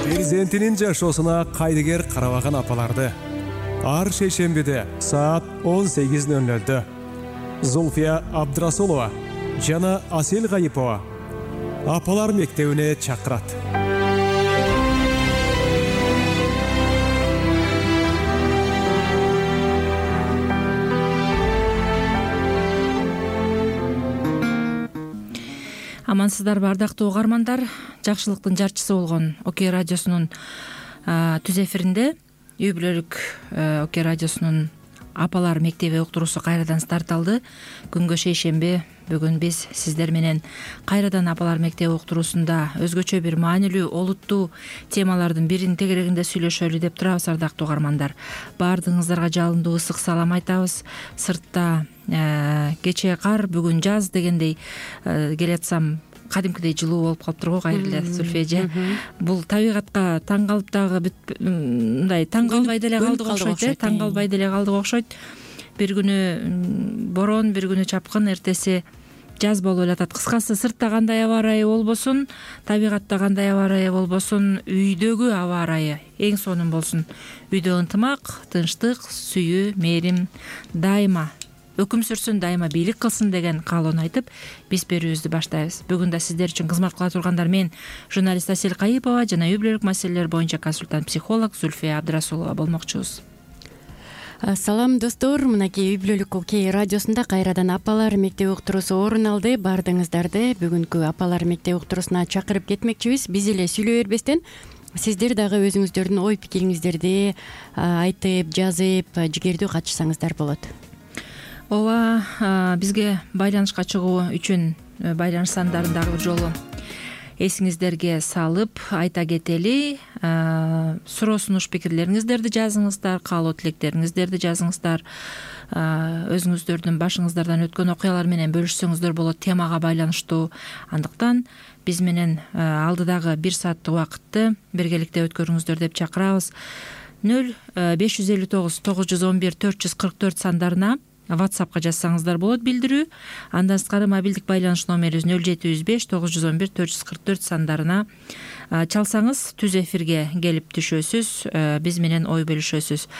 Перзентинин жашоосуна кайдыгер карабаган апаларды ар шейшембиде саат 18:00 Зульфия Абдрасулова жана Асел Гайипова апалар мектебине чакырат. Амансыздарбы ардактуу угармандар, жакшылыктын жарчысы болгон Окей радиосунун түз эфиринде үй бүлөлүк Окей радиосунун апалар мектеби уктуруусу кайрадан старт алды. Күнгө шейшемби, бүгүн биз сиздер менен кайрадан апалар мектеби уктуруусунда өзгөчө бир маанилүү, олуттуу темалардын биринин тегерегинде сүйлөшөлү деп турабыз ардактуу угармандар. Баардыгыңыздарга жалындуу ысык салам айтабыз. Сыртта кечээ кар, бүгүн жаз дегендей келатсам кадимкидей жылуу болуп калыптыр го. Кайрылуу эле Зульфия эже. Бул табигатка таң калып дагы мындай таң калбай деле калдык окшойт, таң калбай деле калдык окшойт. Бир күнү борон, бир күнү чапкын, эртеси жаз болуп элатат. Кыскасы, сыртта кандай аба ырайы болбосун, табигатта кандай аба ырайы болбосун, үйдөгү аба ырайы эң сонун болсун. Үйдө ынтымак, тынчтык, сүйүү, мээрим дайыма өкүм сүрсүн, дайыма бийлик кылсын деген каалоону айтып, биз берүүбүздү баштайбыз. Бүгүн да сиздер үчүн кызмат кыла тургандар мен журналист Асел Гайипова жана үй бүлөлүк маселелер боюнча консультант психолог Зульфия Абдрасулова болмокчубуз. Салам достор, мынакей үй бүлөлүк Окей радиосунда кайрадан апалар мектеби уктуруусу орун алды. Баардыгыңыздарды бүгүнкү апалар мектеби уктуруусуна чакырып кетмекчибиз. Биз эле сүйлөй бербестен сиздер дагы өзүңүздөрдүн ой пикириңиздерди айтып, жазып, жигердүү катышсаңыздар болот. Ооба, бизге байланышка чыгуу үчүн байланыш сандарын дагы бир жолу эсиңиздерге салып айта кетели. Суроо сунуш пикирлериңиздерди жазыңыздар, каалоо тилектериңиздерди жазыңыздар. Өзүңүздөрдүн башыңыздардан өткөн окуялар менен бөлүшсөңүздөр болот, темага байланыштуу. Андыктан биз менен алдыдагы 1 сааттык убакытты биргеликте өткөрүңүздөр деп чакырабыз. 0559 911 444 сандарына WhatsApp'ка жазсаңыздар болот билдирүү. Андан сырткары мобилдик байланыш номерибиз 0705 911 444 сандарына чалсаңыз түз эфирге келип түшөсүз, биз менен ой бөлүшөсүз.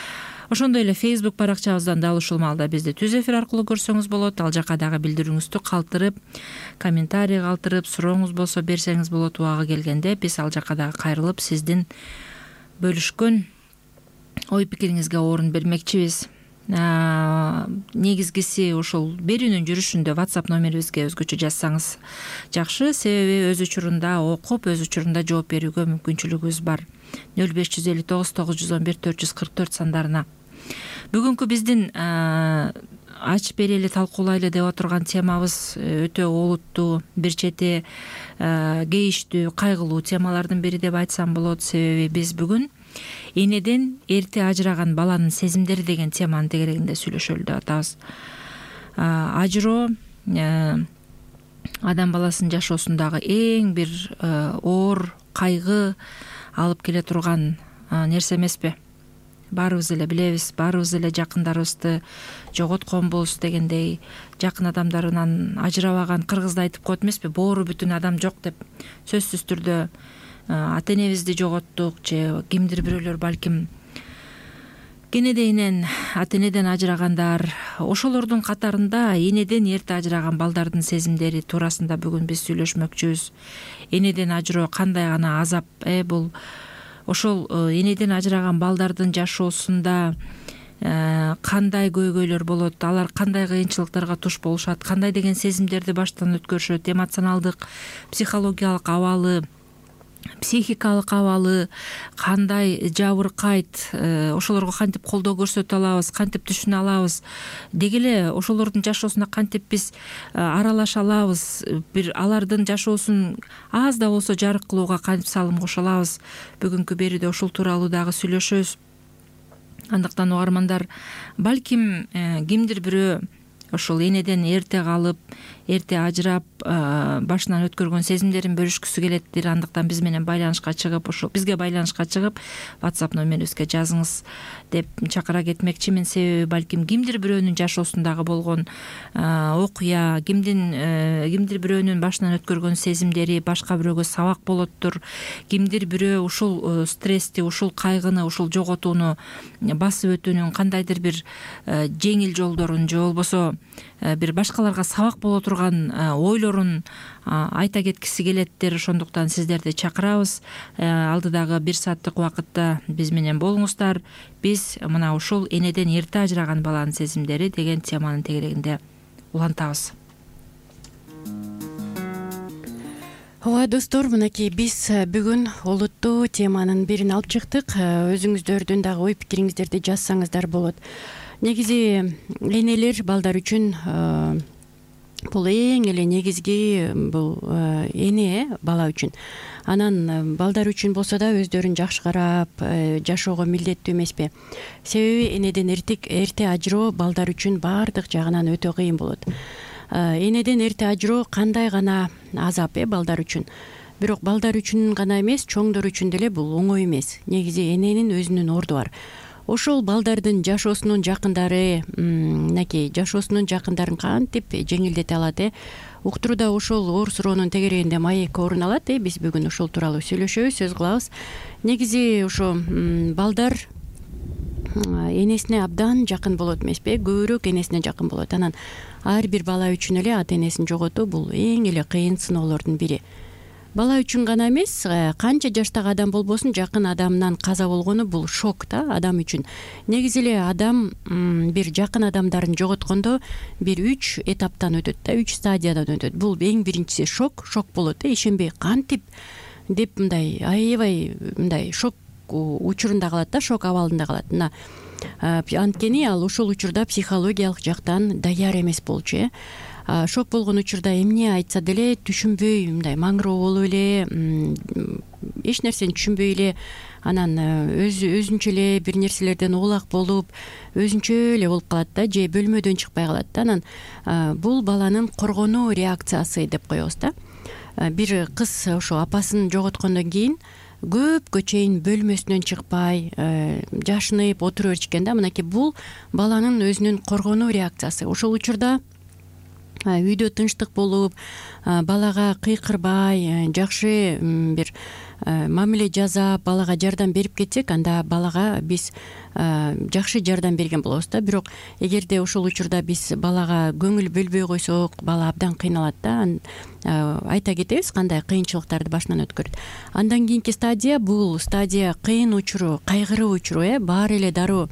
Ошондой эле Facebook баракчабыздан дал ушул маалда бизди түз эфир аркылуу көрсөңүз болот. Ал жака дагы билдирүүңүздү калтырып, комментарий калтырып, сурооңуз болсо берсеңиз болот. Убагы келгенде биз ал жака дагы кайрылып сиздин бөлүшкөн ой пикириңизге орун бермекчибиз. Негизгиси ушул берүүнүн жүрүшүндө WhatsApp номерибизге өзгөчө жазсаңыз жакшы, себеби өз учурунда окуп, өз учурунда жооп берүүгө мүмкүнчүлүгүбүз бар. 0559 911 444 сандарына. Бүгүнкү биздин ачып берели, талкуулайлы деп отурган темабыз өтө олуттуу, бир чети кейиштүү, кайгылуу темалардын бири деп айтсам болот. Себеби биз бүгүн энеден эрте ажыраган баланын сезимдери деген теманын тегерегинде сүйлөшөлү деп атабыз. Ажыроо адам баласынын жашоосундагы эң бир оор кайгы алып келе турган нерсе эмеспи? Баарыбыз эле билебиз, баарыбыз эле жакындарыбызды жоготконбуз дегендей, жакын адамдарынан ажырабаган кыргызда айтып коет эмеспи, боору бүтүн адам жок деп. Сөзсүз түрдө ата энебизди жоготтук же кимдир бирөөлөр балким кенедейинен ата энеден ажырагандар. Ошолордун катарында энеден эрте ажыраган балдардын сезимдери туурасында бүгүн биз сүйлөшмөкчүбүз. Энеден ажыроо кандай гана азап, бул ошол энеден ажыраган балдардын жашоосунда кандай көйгөйлөр болот, алар кандай кыйынчылыктарга туш болушат, кандай деген сезимдерди баштан өткөрүшөт, эмоционалдык, психологиялык абалы, психикалык абалы кандай жабыркайт, ошолорго кантип колдоо көрсөтө алабыз, кантип түшүнө алабыз, деги эле ошолордун жашоосуна кантип биз аралаша алабыз, бир алардын жашоосун аз да болсо жарык кылууга кантип салым кошо алабыз. Бүгүнкү берүүдө ушул тууралуу дагы сүйлөшөбүз. Андыктан угармандар, балким кимдир бирөө ошол энеден эрте калып, эрте ажырап, башынан өткөргөн сезимдерин бөлүшкүсү келеттир. Андыктан биз менен байланышка чыгып, ошо бизге байланышка чыгып, WhatsApp номерибизге жазыңыз деп чакыра кетмекчимин. Себеби балким кимдир бирөөнүн жашоосундагы болгон окуя, кимдир бирөөнүн башынан өткөргөн сезимдери башка бирөөгө сабак болоттур. Кимдир бирөө ушул стрессти, ушул кайгыны, ушул жоготууну басып өтүүнүн кандайдыр бир жеңил жолдорун же болбосо бир башкаларга сабак боло турган ойлорун айта кеткиси келеттир. Ошондуктан сиздерди чакырабыз. Алдыдагы 1 сааттык убакытта биз менен болуңуздар. Биз мына ушул энеден эрте ажыраган баланын сезимдери деген теманын тегерегинде улантабыз. Ооба достор, мынакей биз бүгүн олуттуу теманын бирин алып чыктык. Өзүңүздөрдүн дагы ой пикириңиздерди жазсаңыздар болот. Негизи энелер балдар үчүн бул эң эле негизги бул эне бала үчүн. Анан балдар үчүн болсо да өздөрүн жакшы карап жашоого милдеттүү эмеспи? Себеби энеден эрте ажыроо балдар үчүн баардык жагынан өтө кыйын болот. Энеден эрте ажыроо кандай гана азап балдар үчүн. Бирок балдар үчүн гана эмес, чоңдор үчүн деле бул оңой эмес. Негизи эненин өзүнүн орду бар. Ошол балдардын жашоосунун жакындары, мынакей жашоосунун жакындарын кантип жеңилдете алат? Уктурууда ошол оор суроонун тегерегинде маек орун алат. Биз бүгүн ошол тууралуу сүйлөшөбүз, сөз кылабыз. Негизи ошо балдар энесине абдан жакын болот эмеспи? Көбүрөөк энесине жакын болот. Анан ар бир бала үчүн эле ата энесин жоготуу бул эң эле кыйын сыноолордун бири. Бала үчүн гана эмес, канча жаштагы адам болбосун, жакын адамынан каза болгону бул шок да адам үчүн. Негизи эле адам бир жакын адамдарын жоготкондо бир 3 этаптан өтөт да, 3 стадиядан өтөт. Бул эң биринчиси шок болот. Ишенбей кантип деп мындай аябай мындай шок учурунда калат да, шок абалында калат. Мына анткени ал ошол учурда психологиялык жактан даяр эмес болчу. Шок болгон учурда эмне айтса деле түшүнбөй, мындай маңыроо болуп эле, эч нерсени түшүнбөй эле, анан өзүнчө эле бир нерселерден оолак болуп, өзүнчө эле болуп калат да, же бөлмөдөн чыкпай калат да. Анан бул баланын коргонуу реакциясы деп коебуз да. Бир кыз ошо апасын жоготкондон кийин көпкө чейин бөлмөсүнөн чыкпай, жашынып отура беришкен да. Мынакей бул баланын өзүнүн коргонуу реакциясы. Ошол учурда үйдө тынчтык болуп, балага кыйкырбай, жакшы бир мамиле жасап, балага жардам берип кетсек, анда балага биз жакшы жардам берген болобуз да. Бирок эгерде ошол учурда биз балага көңүл бөлбөй койсок, бала абдан кыйналат да. Айта кетебиз кандай кыйынчылыктарды башынан өткөрөт. Андан кийинки стадия бул стадия кыйын учуру, кайгыруу учуру. Баары эле дароо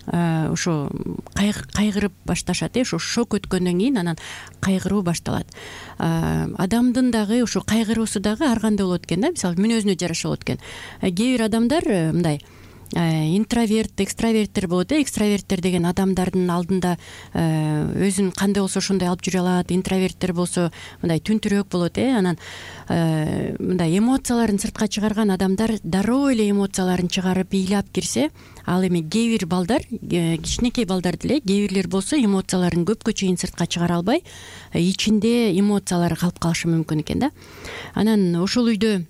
ошо кайгырып башташат. Ошо шок өткөндөн кийин анан кайгыруу башталат. Адамдын дагы ошо кайгыруусу дагы ар кандай болот экен да. Мисалы мүнөзүнө жараша болот экен. Кээ бир адамдар мындай интроверт, экстраверттер болот. Экстраверттер деген адамдардын алдында өзүн кандай болсо ошондой алып жүрө алат. Интроверттер болсо мындай түнтүрөөк болот. Анан мындай эмоцияларын сыртка чыгарган адамдар дароо эле эмоцияларын чыгарып ыйлап кирсе, ал эми кээ бир балдар, кичинекей балдар деле, кээ бирлер болсо эмоцияларын көпкө чейин сыртка чыгара албай, ичинде эмоциялары калып калышы мүмкүн экен да. Анан ошол үйдө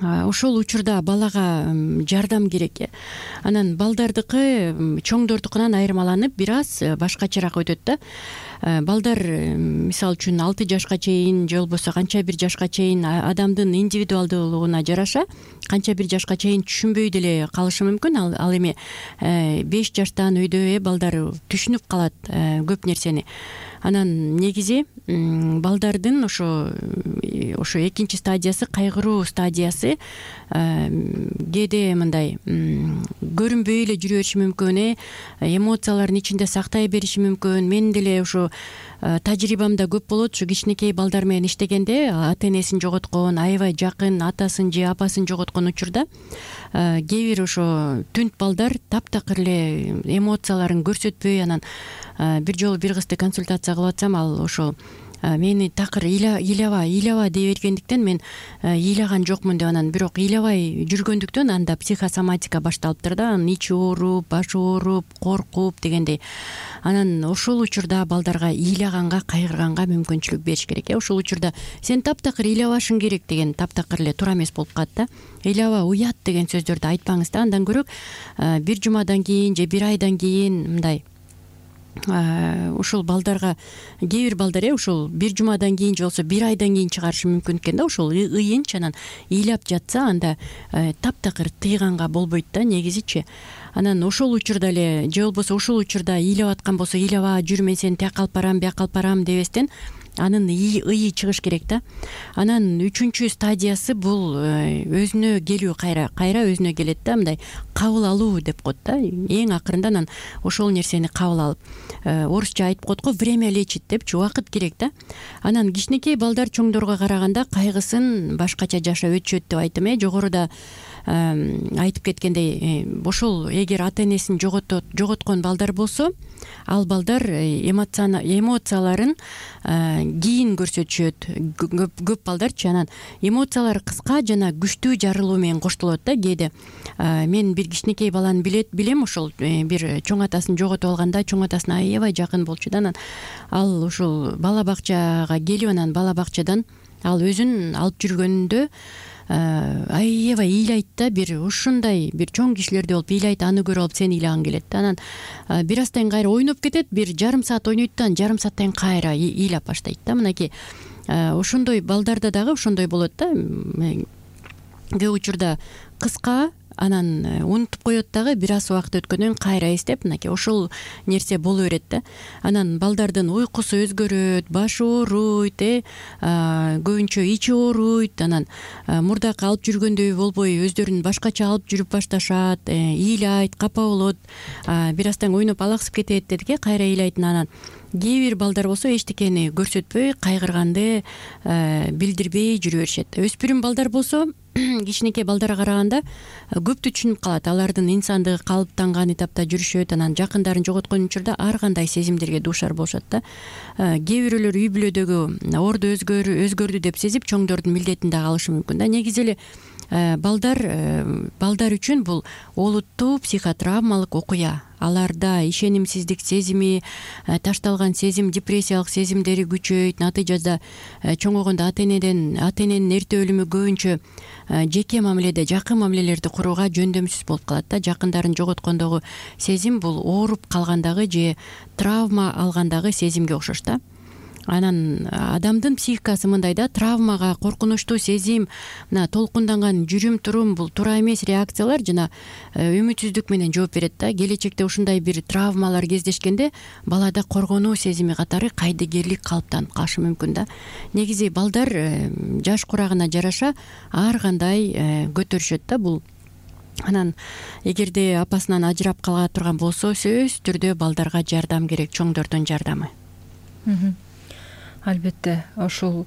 ошол учурда балага жардам керек. Анан балдардыкы чоңдордукунан айырмаланып бир аз башкачараак өтөт да. Балдар мисалы үчүн 6 жашка чейин же болбосо канча бир жашка чейин адамдын индивидуалдуулугуна жараша канча бир жашка чейин түшүнбөй деле калышы мүмкүн. Ал эми 5 жаштан өйдө балдар түшүнүп калат көп нерсени. Анан негизи балдардын ошо экинчи стадиясы, кайгыруу стадиясы кээде мындай көрүнбөй эле жүрө бериши мүмкүн, эмоцияларын ичинде сактай бериши мүмкүн. Мен деле ошо тажрыйбамда көп болот. Ушу кичинекей балдар менен иштегенде ата энесин жоготкон, аябай жакын атасын же апасын жоготкон учурда кээ бир ошо түнт балдар таптакыр эле эмоцияларын көрсөтпөй, анан бир жолу бир кызды консультация кылып атсам, ал ошо мени такыр ыйлаба дей бергендиктен мен ыйлаган жокмун деп анан бирок ыйлабай жүргөндүктөн анда психосоматика башталыптыр да, анан ичи ооруп, башы ооруп, коркуп дегендей. Анан ошол учурда балдарга ыйлаганга, кайгырганга мүмкүнчүлүк бериш керек. Ошол учурда сен таптакыр ыйлабашың керек деген таптакыр эле туура эмес болуп калат да. Ыйлаба, уят деген сөздөрдү айтпаңыз да. Андан көрөк бир жумадан кийин же бир айдан кийин мындай ушул балдарга кээ бир балдар ушул бир жумадан кийин же болбосо бир айдан кийин чыгарышы мүмкүн экен да. Ошол ыйынч анан ыйлап жатса анда таптакыр тыйганга болбойт да негизичи. Анан ошол учурда эле же болбосо ушул учурда ыйлап аткан болсо ыйлаба жүр, мен сени тияка алып барам, бияка алып барам дебестен анын ыйы чыгыш керек да. Анан үчүнчү стадиясы бул өзүнө келүү, кайра өзүнө келет да, мындай кабыл алуу деп коет да. Эң акырында анан ошол нерсени кабыл алып, орусча айтып коет го, время лечит депчи, убакыт керек да. Анан кичинекей балдар чоңдорго караганда кайгысын башкача жашап өтүшөт деп айттым. Жогоруда айтып кеткендей, ошол эгер ата энесин жоготкон балдар болсо, ал балдар эмоцияларын кийин көрсөтүшөт. Көп балдарчы анан эмоциялары кыска жана күчтүү жарылуу менен коштолот да. Кээде мен бир кичинекей баланы билем, ошол бир чоң атасын жоготуп алганда, чоң атасына аябай жакын болчу да. Анан ал ушул бала бакчага келип, анан бала бакчадан ал өзүн алып жүргөндө аябай ыйлайт да. Бир ушундай бир чоң кишилердей болуп ыйлайт, аны көрүп алып сен ыйлагың келет да. Анан бир аздан кийин кайра ойноп кетет, бир жарым саат ойнойт да, жарым сааттан кийин кайра ыйлап баштайт да. Мынакей ошондой балдарда дагы ошондой болот да. Көп учурда кыска, анан унутуп коет дагы, бир аз убакыт өткөндөн кийин кайра эстеп, мынакей ошол нерсе боло берет да. Анан балдардын уйкусу өзгөрөт, башы ооруйт, көбүнчө ичи ооруйт, анан мурдакы алып жүргөндөй болбой өздөрүн башкача алып жүрүп башташат, ыйлайт, капа болот, бир аздан ойноп алаксып кетет дедик, кайра ыйлайт. Анан кээ бир балдар болсо эчтекени көрсөтпөй, кайгырганды билдирбей жүрө беришет. Өспүрүм балдар болсо кичинекей балдарга караганда көптү түшүнүп калат. Алардын инсандыгы калыптанган этапта жүрүшөт. Анан жакындарын жоготкон учурда ар кандай сезимдерге дуушар болушат да. Кээ бирөөлөр үй бүлөдөгү орду өзгөрдү деп сезип чоңдордун милдетин дагы алышы мүмкүн да. Негизи эле балдар үчүн бул олуттуу психотравмалык окуя. Аларда ишенимсиздик сезими, ташталган сезим, депрессиялык сезимдери күчөйт. Натыйжада чоңойгондо ата эненин эрте өлүмү көбүнчө жеке мамиледе, жакын мамилелерди курууга жөндөмсүз болуп калат да. Жакындарын жоготкондогу сезим бул ооруп калгандагы же травма алгандагы сезимге окшош да. Анан адамдын психикасы мындай да, травмага, коркунучтуу сезим, мына толкунданган жүрүм турум бул туура эмес реакциялар жана үмүтсүздүк менен жооп берет да. Келечекте ушундай бир травмалар кездешкенде балада коргонуу сезими катары кайдыгерлик калыптанып калышы мүмкүн да. Негизи балдар жаш курагына жараша ар кандай көтөрүшөт да бул. Анан эгерде апасынан ажырап кала турган болсо, сөзсүз түрдө балдарга жардам керек, чоңдордун жардамы. Албетте, ошол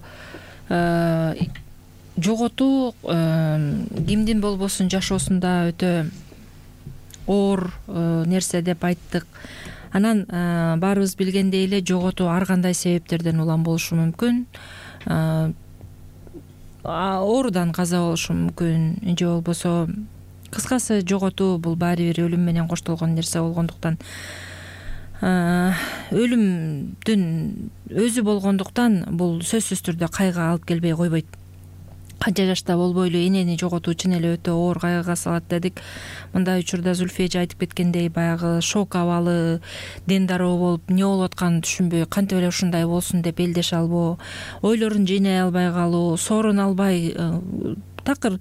жоготуу кимдин болбосун жашоосунда өтө оор нерсе деп айттык. Анан баарыбыз билгендей эле жоготуу ар кандай себептерден улам болушу мүмкүн. Оорудан каза болушу мүмкүн же болбосо, кыскасы жоготуу бул баары бир өлүм менен коштолгон нерсе болгондуктан, өлүмдүн өзү болгондуктан бул сөзсүз түрдө кайгыга алып келбей койбойт. Канча жашта болбойлу энени жоготуу чын эле өтө оор кайгыга салат дедик. Мындай учурда Зүлфия эже айтып кеткендей, баягы шок абалы, ден дароо болуп, эмне болуп атканын түшүнбөй, кантип эле ушундай болсун деп элдеше албоо, ойлорун жыйнай албай калуу, сооруна албай, такыр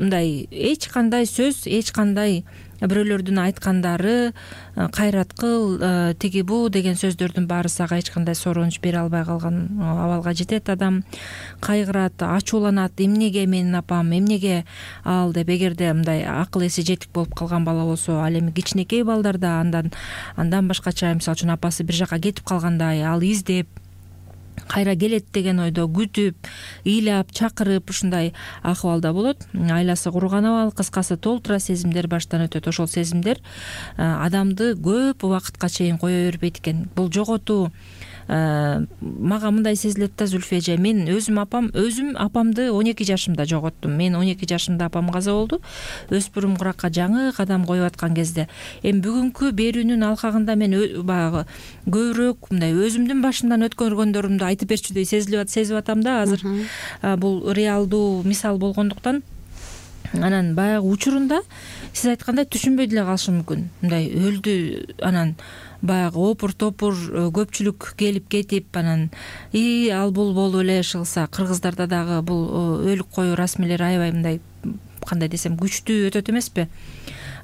мындай эч кандай сөз, эч кандай бирөөлөрдүн айткандары кайрат кыл, тиги бу деген сөздөрдүн баарысы ага эч кандай сооронуч бере албай калган абалга жетет. Адам кайгырат, ачууланат, эмнеге менин апам, эмнеге ал деп. Эгерде мындай акыл эси жетик болуп калган бала болсо, ал эми кичинекей балдарда андан башкача, мисалы үчүн апасы бир жака кетип калгандай, ал издеп кайра келет деген ойдо күтүп, ыйлап, чакырып, ушундай акыбалда болот. Айласы курган абал, кыскасы толтура сезимдер баштан өтөт. Ошол сезимдер адамды көп убакытка чейин кое бербейт экен. Бул жоготуу мага мындай сезилет да, Зүлфия эже, мен өзүм апамды 12 жашымда жоготтум. Мен 12 жашымда апам каза болду. Өспүрүм куракка жаңы кадам коюп аткан кезде. Эми бүгүнкү берүүнүн алкагында мен баягы көбүрөөк мындай өзүмдүн башымдан өткөргөндөрүмдү айтып берчүдөй сезип атам да азыр. Бул реалдуу мисал болгондуктан. Анан баягы учурунда сиз айткандай түшүнбөй деле калышы мүмкүн. Мындай өлдү, анан баягы опур топур көпчүлүк келип кетип, анан ал бул болуп эле ышылса, кыргыздарда дагы бул өлүк коюу расмилери аябай мындай, кандай десем, күчтүү өтөт эмеспи?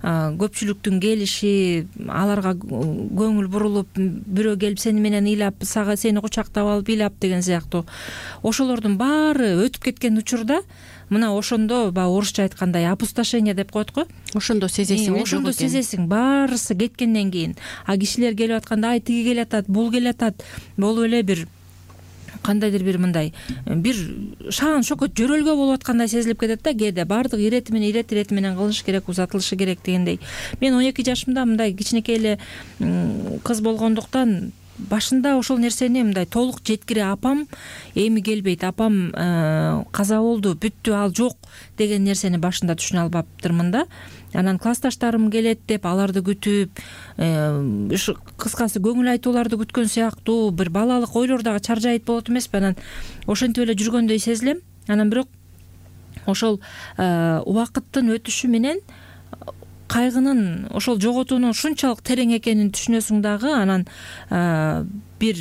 Көпчүлүктүн келиши, аларга көңүл бурулуп, бирөө келип сени менен ыйлап, сени кучактап алып ыйлап деген сыяктуу ошолордун баары өтүп кеткен учурда мына ошондо баягы орусча айткандай опустошение деп коет го. Ошондо сезесиң. Ошондо сезесиң, баарысы кеткенден кийин. А кишилер келип атканда, ай тиги келатат, бул келатат, болуп эле бир кандайдыр бир мындай бир шаан шөкөт жөрөлгө болуп аткандай сезилип кетет да. Кээде баардык ирет менен кылыш керек, узатылышы керек дегендей. Мен 12 жашымда мындай кичинекей эле кыз болгондуктан башында ошол нерсени мындай толук жеткире апам эми келбейт, апам каза болду, бүттү, ал жок деген нерсени башында түшүнө албаптырмын да. Анан классташтарым келет деп аларды күтүп, кыскасы көңүл айтууларды күткөн сыяктуу бир балалык ойлор дагы чаржайыт болот эмеспи? Анан ошентип эле жүргөндөй сезилем. Анан бирок ошол убакыттын өтүшү менен кайгынын, ошол жоготуунун ушунчалык терең экенин түшүнөсүң дагы. Анан бир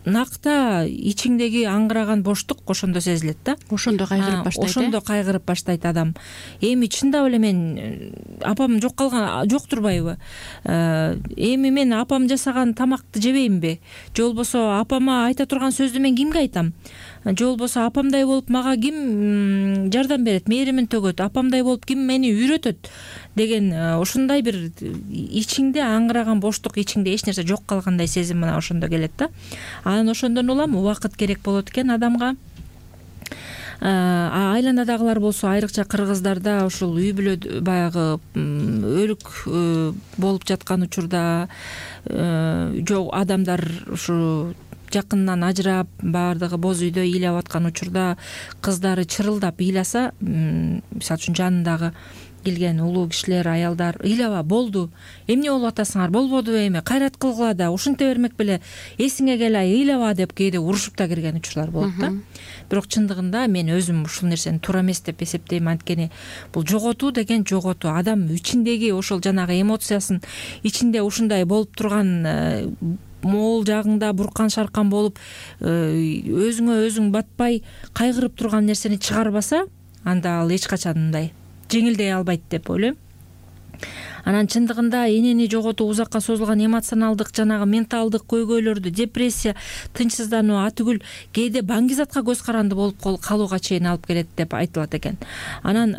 накта ичиңдеги аңгыраган боштук ошондо сезилет да. Ошондо кайгырып баштайт. Ошондо кайгырып баштайт адам. Эми чындап эле мен апам жок калган, жок турбайбы? Эми мен апам жасаган тамакты жебеймби? Же болбосо апама айта турган сөздү мен кимге айтам? Же болбосо апамдай болуп мага ким жардам берет, мээримин төгөт, апамдай болуп ким мени үйрөтөт деген ушундай бир ичиңде аңгыраган боштук, ичиңде эч нерсе жок калгандай сезим мына ошондо келет да. Анан ошондон улам убакыт керек болот экен адамга. Айланадагылар болсо, айрыкча кыргыздарда ушул үй бүлө баягы өлүк болуп жаткан учурда жок адамдар ушу жакынынан ажырап, баардыгы боз үйдө ыйлап аткан учурда кыздары чырылдап ыйласа, мисалы үчүн жанындагы келген улуу кишилер, аялдар ыйлаба, болду, эмне болуп атасыңар, болбоду эми, кайрат кылгыла да, ушинте бермек беле, эсиңе келай, ыйлаба деп кээде урушуп да кирген учурлар болот да. Бирок чындыгында мен өзүм ушул нерсени туура эмес деп эсептейм. Анткени бул жоготуу деген жоготуу, адам ичиндеги ошол жанагы эмоциясын ичинде ушундай болуп турган моол жагыңда буркан шаркан болуп, өзүңө өзүң батпай кайгырып турган нерсени чыгарбаса, анда ал эч качан мындай жеңилдей албайт деп ойлойм. Анан чындыгында энени жоготуу узакка созулган эмоционалдык, жанагы менталдык көйгөйлөрдү, депрессия, тынчсыздануу, атүгүл кээде баңгизатка көз каранды болуп калууга чейин алып келет деп айтылат экен. Анан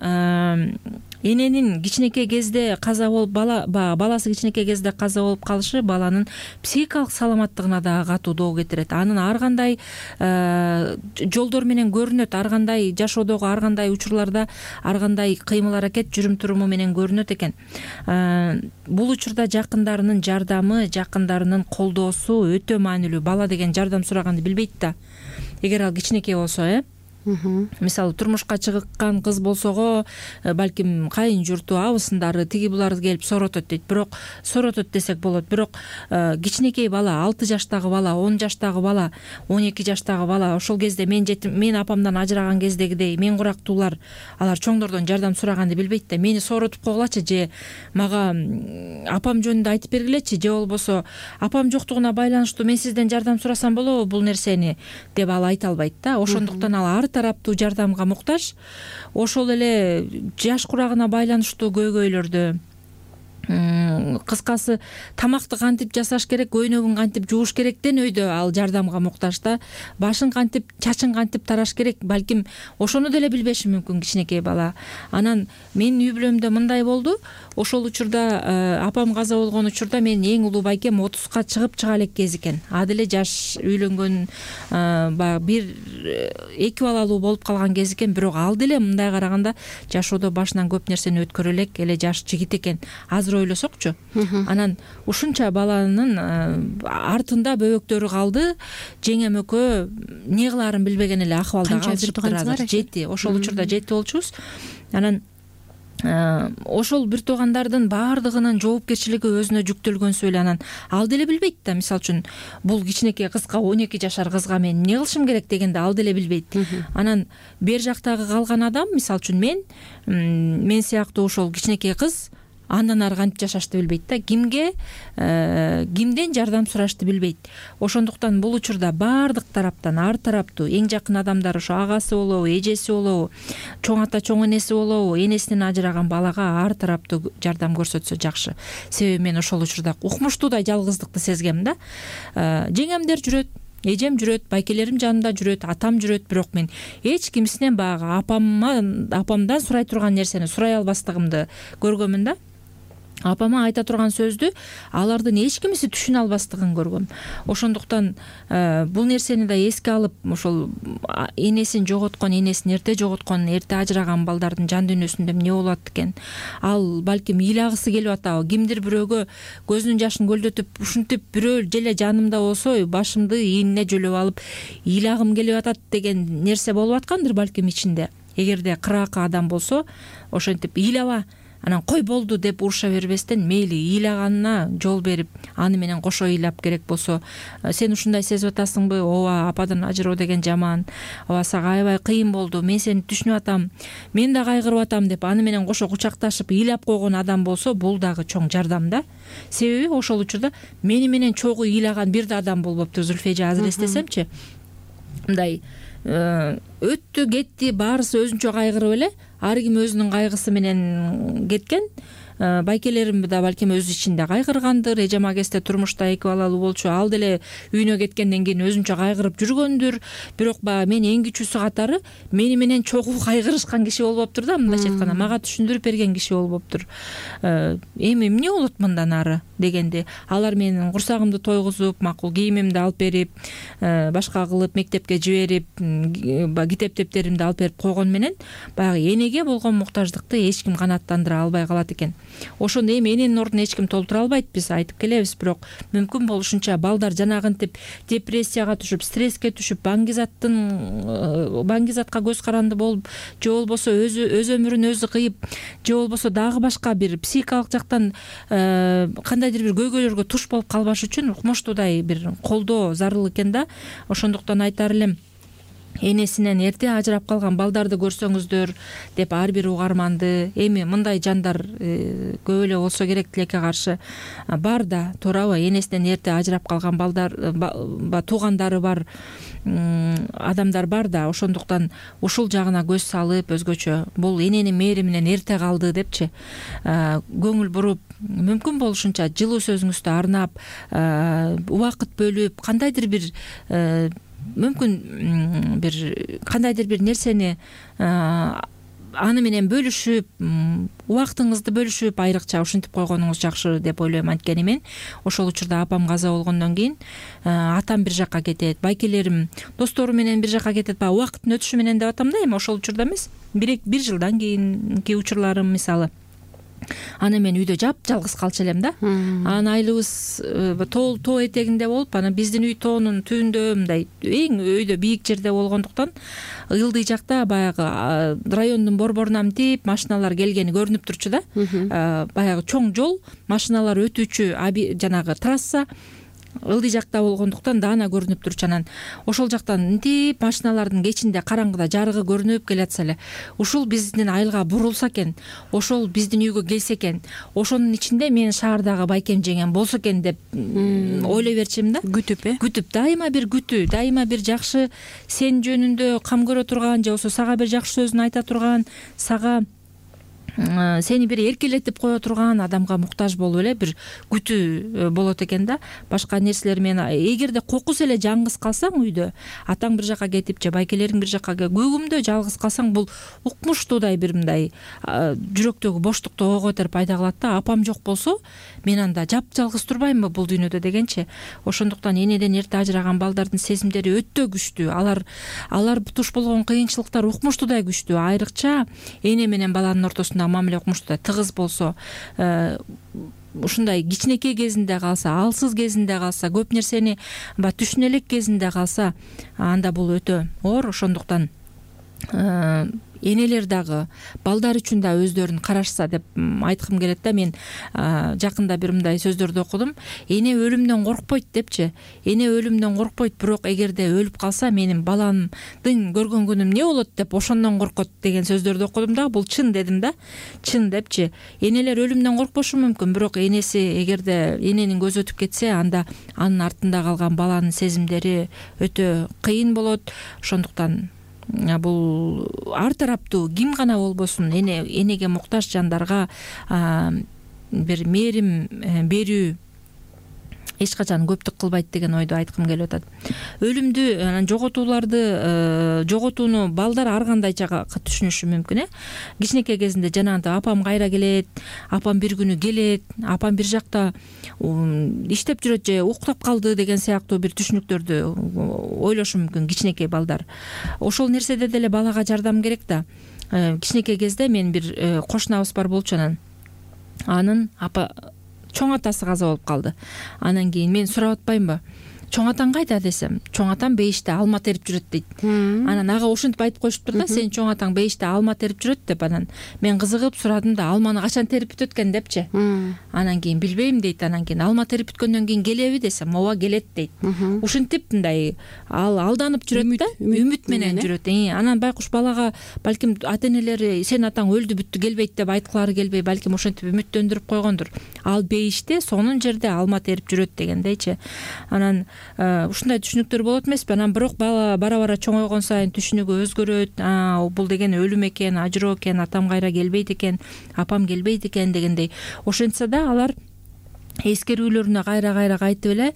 эненин кичинекей кезде каза болуп, баласы кичинекей кезде каза болуп калышы баланын психикалык саламаттыгына дагы катуу доо кетирет. Анын ар кандай жолдор менен көрүнөт, ар кандай жашоодогу ар кандай учурларда ар кандай кыймыл аракет, жүрүм туруму менен көрүнөт экен. Бул учурда жакындарынын жардамы, жакындарынын колдоосу өтө маанилүү. Бала деген жардам сураганды билбейт да. Эгер ал кичинекей болсо, мисалы турмушка чыккан кыз болсого, балким кайын журту, абысындары, тиги буларды келип соротот дейт. Бирок соротот десек болот. Бирок кичинекей бала, 6 жаштагы бала, 10 жаштагы бала, 12 жаштагы бала, ошол кезде мен апамдан ажыраган кездегидей мен курактуулар, алар чоңдордон жардам сураганды билбейт да. Мени сооротуп койгулачы, же мага апам жөнүндө айтып бергилечи, же болбосо апам жоктугуна байланыштуу мен сизден жардам сурасам болобу бул нерсени деп ал айта албайт да. Ошондуктан ал ар тараптуу жардамга муктаж. Ошол эле жаш курагына байланыштуу көйгөйлөрдү, кыскасы тамакты кантип жасаш керек, көйнөгүн кантип жууш керектен өйдө ал жардамга муктаж да. Башын кантип, чачын кантип тараш керек, балким ошону деле билбеши мүмкүн кичинекей бала. Анан менин үй бүлөмдө мындай болду. Ошол учурда апам каза болгон учурда мен эң улуу байкем 30ка чыга элек кез экен. А деле жаш үйлөнгөн, баягы 1-2 балалуу болуп калган кез экен. Бирок ал деле мындай караганда жашоодо башынан көп нерсени өткөрө элек эле жаш жигит экен. Азыр азыр ойлосокчу, анан ушунча баланын артында бөбөктөрү калды, жеңем экөө эмне кылаарын билбеген эле акыбалда калышыптыр азыр. Жети, ошол учурда жети болчубуз. Анан ошол бир туугандардын баардыгынын жоопкерчилиги өзүнө жүктөлгөнсү эле анан ал деле билбейт да, мисалы үчүн бул кичинекей кызга, 12 жашар кызга мен эмне кылышым керек дегенде ал деле билбейт. Анан бер жактагы калган адам, мисалы үчүн мен сыяктуу ошол кичинекей кыз андан ары кантип жашашты билбейт да, кимден жардам сурашты билбейт. Ошондуктан бул учурда баардык тараптан, ар тараптуу эң жакын адамдар, ошо агасы болобу, эжеси болобу, чоң ата, чоң энеси болобу, энесинен ажыраган балага ар тараптуу жардам көрсөтсө жакшы. Себеби мен ошол учурда укмуштуудай жалгыздыкты сезгем да. Жеңемдер жүрөт, эжем жүрөт, байкелерим жанымда жүрөт, атам жүрөт, бирок мен эч кимсинен баягы апамдан сурай турган нерсени сурай албастыгымды көргөмүн да. Апама айта турган сөздү алардын эч кимиси түшүнө албастыгын көргөм. Ошондуктан бул нерсени да эске алып, ошол энесин жоготкон, энесин эрте жоготкон, эрте ажыраган балдардын жан дүйнөсүндө эмне болот экен? Ал балким ыйлагысы келип атабы? Кимдир бирөөгө көзүнүн жашын көлдөтүп, ушинтип бирөө желе жанымда болсо, башымды ийинине жөлөп алып, ыйлагым келип атат деген нерсе болуп аткандыр балким ичинде. Эгерде кыраакы адам болсо, ошентип ыйлаба, анан кой болду деп уруша бербестен, мейли ыйлаганына жол берип, аны менен кошо ыйлап, керек болсо сен ушундай сезип атасыңбы, ооба ападан ажыроо деген жаман, ооба сага аябай кыйын болду, мен сени түшүнүп атам, мен да кайгырып атам деп аны менен кошо кучакташып ыйлап койгон адам болсо, бул дагы чоң жардам да. Себеби ошол учурда мени менен чогуу ыйлаган бир да адам болбоптур. Зүлфежа азыр эстесемчи, мындай өттү кетти, баарысы өзүнчө кайгырып эле, ар ким өзүнүн кайгысы менен кеткен. Байкелерим да балким өз ичинде кайгыргандыр, эжем агесте турмушта 2 балалуу болчу, ал деле үйүнө кеткенден кийин өзүнчө кайгырып жүргөндүр. Бирок баягы мен эң кичүүсү катары мени менен чогуу кайгырышкан киши болуптур да, мындайча айтканда мага түшүндүрүп берген киши болуптур. Эми эмне болот мындан ары дегенде, алар менин курсагымды тойгузуп, макул кийимимди алып берип, башка кылып, мектепке жиберип, китеп дептеримди алып берип койгон менен баягы энеге болгон муктаждыкты эч ким канааттандыра албай калат экен. Ошондо эми эненин ордуна эч ким толтура албайт, биз айтып келебиз, бирок мүмкүн болушунча балдар жанагынтип депрессияга түшүп, стресске түшүп, баңгизатка көз каранды болуп, же болбосо өз өмүрүн өзү кыйып, же болбосо дагы башка бир психикалык жактан кандайдыр бир көйгөйлөргө туш болуп калбаш үчүн укмуштуудай бир колдоо зарыл экен да. Ошондуктан айтар элем, энесинен эрте ажырап калган балдарды көрсөңүздөр деп ар бир угарманды, эми мындай жандар көп эле болсо керек, тилекке каршы бар да, туурабы? Энесинен эрте ажырап калган балдар, туугандары бар адамдар бар да. Ошондуктан ушул жагына көз салып, өзгөчө бул эненин мээриминен эрте калды депчи көңүл буруп, мүмкүн болушунча жылуу сөзүңүздү арнап, убакыт бөлүп, кандайдыр бир мүмкүн бир кандайдыр бир нерсени аны менен бөлүшүп, убактыңызды бөлүшүп, айрыкча ушинтип койгонуңуз жакшы деп ойлойм. Анткени мен ошол учурда апам каза болгондон кийин атам бир жакка кетет, байкелерим достору менен бир жакка кетет, баягы убакыттын өтүшү менен деп атам да, эми ошол учурда эмес, бир жылдан кийинки учурларым мисалы. Аны мен үйдө жалгыз калчу элем да. Анан айлыбыз тоо этегинде болуп, анан биздин үй тоонун түбүндө, мындай эң өйдө бийик жерде болгондуктан ылдый жакта баягы райондун борборунан мынтип машиналар келгени көрүнүп турчу да. Баягы чоң жол, машиналар өтүүчү жанагы трасса ылдый жакта болгондуктан даана көрүнүп турчу. Анан ошол жактан мынтип машиналардын кечинде караңгыда жарыгы көрүнүп келатса эле, ушул биздин айылга бурулса экен, ошол биздин үйгө келсе экен, ошонун ичинде менин шаардагы байкем жеңем болсо экен деп ойлой берчүмүн да. Күтүп, дайыма бир күтүү, дайыма бир жакшы сен жөнүндө кам көрө турган, же болбосо сага бир жакшы сөзүн айта турган, сага сени бир эркелетип кое турган адамга муктаж болуп эле бир күтүү болот экен да. Башка нерселер менен эгерде кокус эле жаңгыз калсаң үйдө, атаң бир жакка кетип же байкелериң бир жакка көгүмдө жалгыз калсаң, бул укмуштуудай бир мындай жүрөктөгү боштукту ого көтөрүп пайда кылат да. Апам жок болсо мен анда жапжалгыз турбаймынбы бул дүйнөдө дегенчи. Ошондуктан энеден эрте ажыраган балдардын сезимдери өтө күчтүү. Алар туш болгон кыйынчылыктар укмуштуудай күчтүү. Айрыкча эне менен баланын ортосунда ошондой мамиле укмушту тыгыз болсо, ушундай кичинекей кезинде калса, алсыз кезинде калса, көп нерсени баягы түшүнө элек кезинде калса, анда бул өтө оор. Ошондуктан энелер дагы балдар үчүн да өздөрүн карашса деп айткым келет да. Мен жакында бир мындай сөздөрдү окудум. Эне өлүмдөн коркпойт депчи. Эне өлүмдөн коркпойт, бирок эгерде өлүп калса, менин баламдын көргөн күнүм эмне болот деп ошондон коркот деген сөздөрдү окудум да. Бул чын дедим да. Чын депчи. Энелер өлүмдөн коркпошу мүмкүн, бирок энеси эгерде эненин көзү өтүп кетсе, анда анын артында калган баланын сезимдери өтө кыйын болот. Ошондуктан бул ар тараптуу ким гана болбосун энеге муктаж жандарга бир мээрим берүү эч качан көптүк кылбайт деген ойду айткым келип атат. Өлүмдү, жоготууну балдар ар кандайча түшүнүшү мүмкүн. Кичинекей кезинде жанагынтип апам кайра келет, апам бир күнү келет, апам бир жакта иштеп жүрөт же уктап калды деген сыяктуу бир түшүнүктөрдү ойлошу мүмкүн кичинекей балдар. Ошол нерседе деле балага жардам керек да. Кичинекей кезде мен бир кошунабыз бар болчу, анын чоң атасы каза болуп калды. Анан кийин мен сурап атпаймынбы? Чоң атаң кайда десем, чоң атам бейиште алма терип жүрөт дейт. Анан ага ошентип айтып коюшуптур да, сенин чоң атаң бейиште алма терип жүрөт деп. Анан мен кызыгып сурадым да, алманы качан терип бүтөт экен депчи. Анан кийин билбейм дейт. Анан кийин алма терип бүткөндөн кийин келеби десем, ооба келет дейт. Ушинтип мындай алданып жүрөт да, үмүт менен жүрөт. Анан байкуш балага балким ата-энелери сенин атаң өлдү бүттү келбейт деп айткылары келбей, балким ошентип үмүттөндүрүп койгондур. Ал бейиште сонун жерде алма терип жүрөт дегендейчи. Анан ушундай түшүнүктөр болот эмеспи? Анан бирок бала бара чоңойгон сайын түшүнүгү өзгөрөт. Бул деген өлүм экен, ажыроо экен, атам кайра келбейт экен, апам келбейт экен дегендей. Ошентсе да алар эскерүүлөрүнө кайра кайтып эле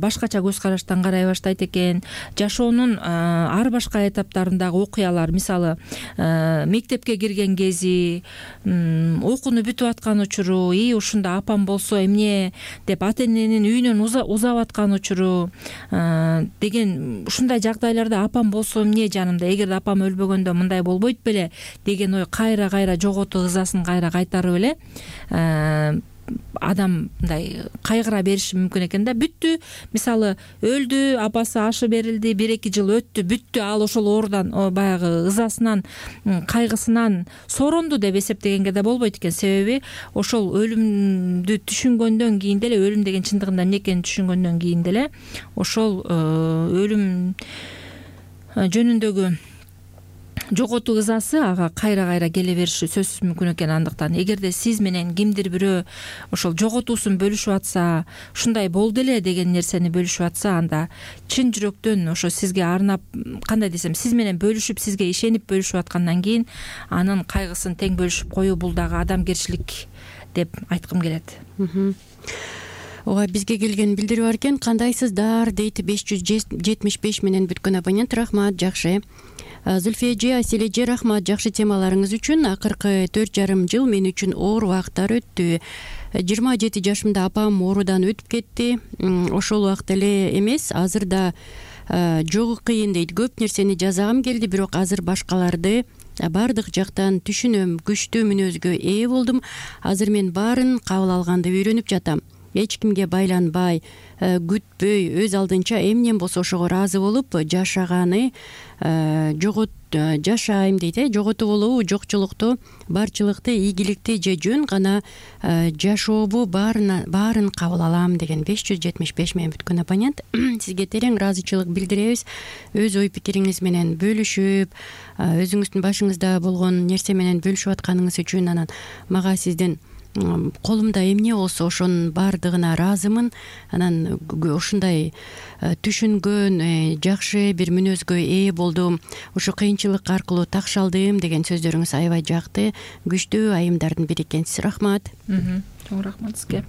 башкача көз караштан карай баштайт экен. Жашоонун ар башка этаптарындагы окуялар, мисалы мектепке кирген кези, окууну бүтүп аткан учуру, ушунда апам болсо эмне деп ата-эненин үйүнөн узап аткан учуру деген ушундай жагдайларда апам болсо эмне жанымда, эгерде апам өлбөгөндө мындай болбойт беле деген ой кайра жоготуу ызасын кайра кайтарып эле адам мындай кайгыра бериши мүмкүн экен да. Бүттү, мисалы өлдү, апасы ашы берилди, 1-2 жыл өттү, бүттү, ал ошол оорудан баягы ызасынан, кайгысынан соронду деп эсептегенге да болбойт экен. Себеби ошол өлүмдү түшүнгөндөн кийин деле, өлүм деген чындыгында эмне экенин түшүнгөндөн кийин деле ошол өлүм жөнүндөгү жоготуу ызасы ага кайра келе бериши сөзсүз мүмкүн экен. Андыктан эгерде сиз менен кимдир бирөө ошол жоготуусун бөлүшүп атса, ушундай болду эле деген нерсени бөлүшүп атса, анда чын жүрөктөн ошо сизге арнап, кандай десем, сиз менен бөлүшүп, сизге ишенип бөлүшүп аткандан кийин анын кайгысын тең бөлүшүп коюу бул дагы адамгерчилик деп айткым келет. Ооба, бизге келген билдирүү бар экен. Кандайсыздар дейт 575 менен бүткөн абонент. Рахмат, жакшы. Зульфия эже, Асель эже, рахмат жакшы темаларыңыз үчүн. Акыркы 4,5 жыл мен үчүн оор убакыттар өттү. 27 жашымда апам оорудан өтүп кетти. Ошол убакыт эле эмес, азыр да жогу кыйын дейт. Көп нерсени жасагым келди, бирок азыр башкаларды бардык жактан түшүнөм. Күчтүү мүнөзгө ээ болдум. Азыр мен баарын кабыл алганды үйрөнүп жатам. Эч кимге байланбай, күтпөй, өз алдынча эмнем болсо ошого ыраазы болуп жашаганы жашайм дейт. Жоготуу болобу, жокчулукту, барчылыкты, ийгиликти же жөн гана жашообу баарын кабыл алам деген 575 менен бүткөн абонент. Сизге терең ыраазычылык билдиребиз. Өз ой пикириңиз менен бөлүшүп, өзүңүздүн башыңызда болгон нерсе менен бөлүшүп атканыңыз үчүн, анан мага сизден колумда эмне болсо ошонун баардыгына ыраазымын. Анан ушундай түшүнгөн, жакшы бир мүнөзгө ээ болдум, ушу кыйынчылык аркылуу такшалдым деген сөздөрүңүз аябай жакты. Күчтүү айымдардын бири экенсиз. Рахмат. Чоң рахмат сизге.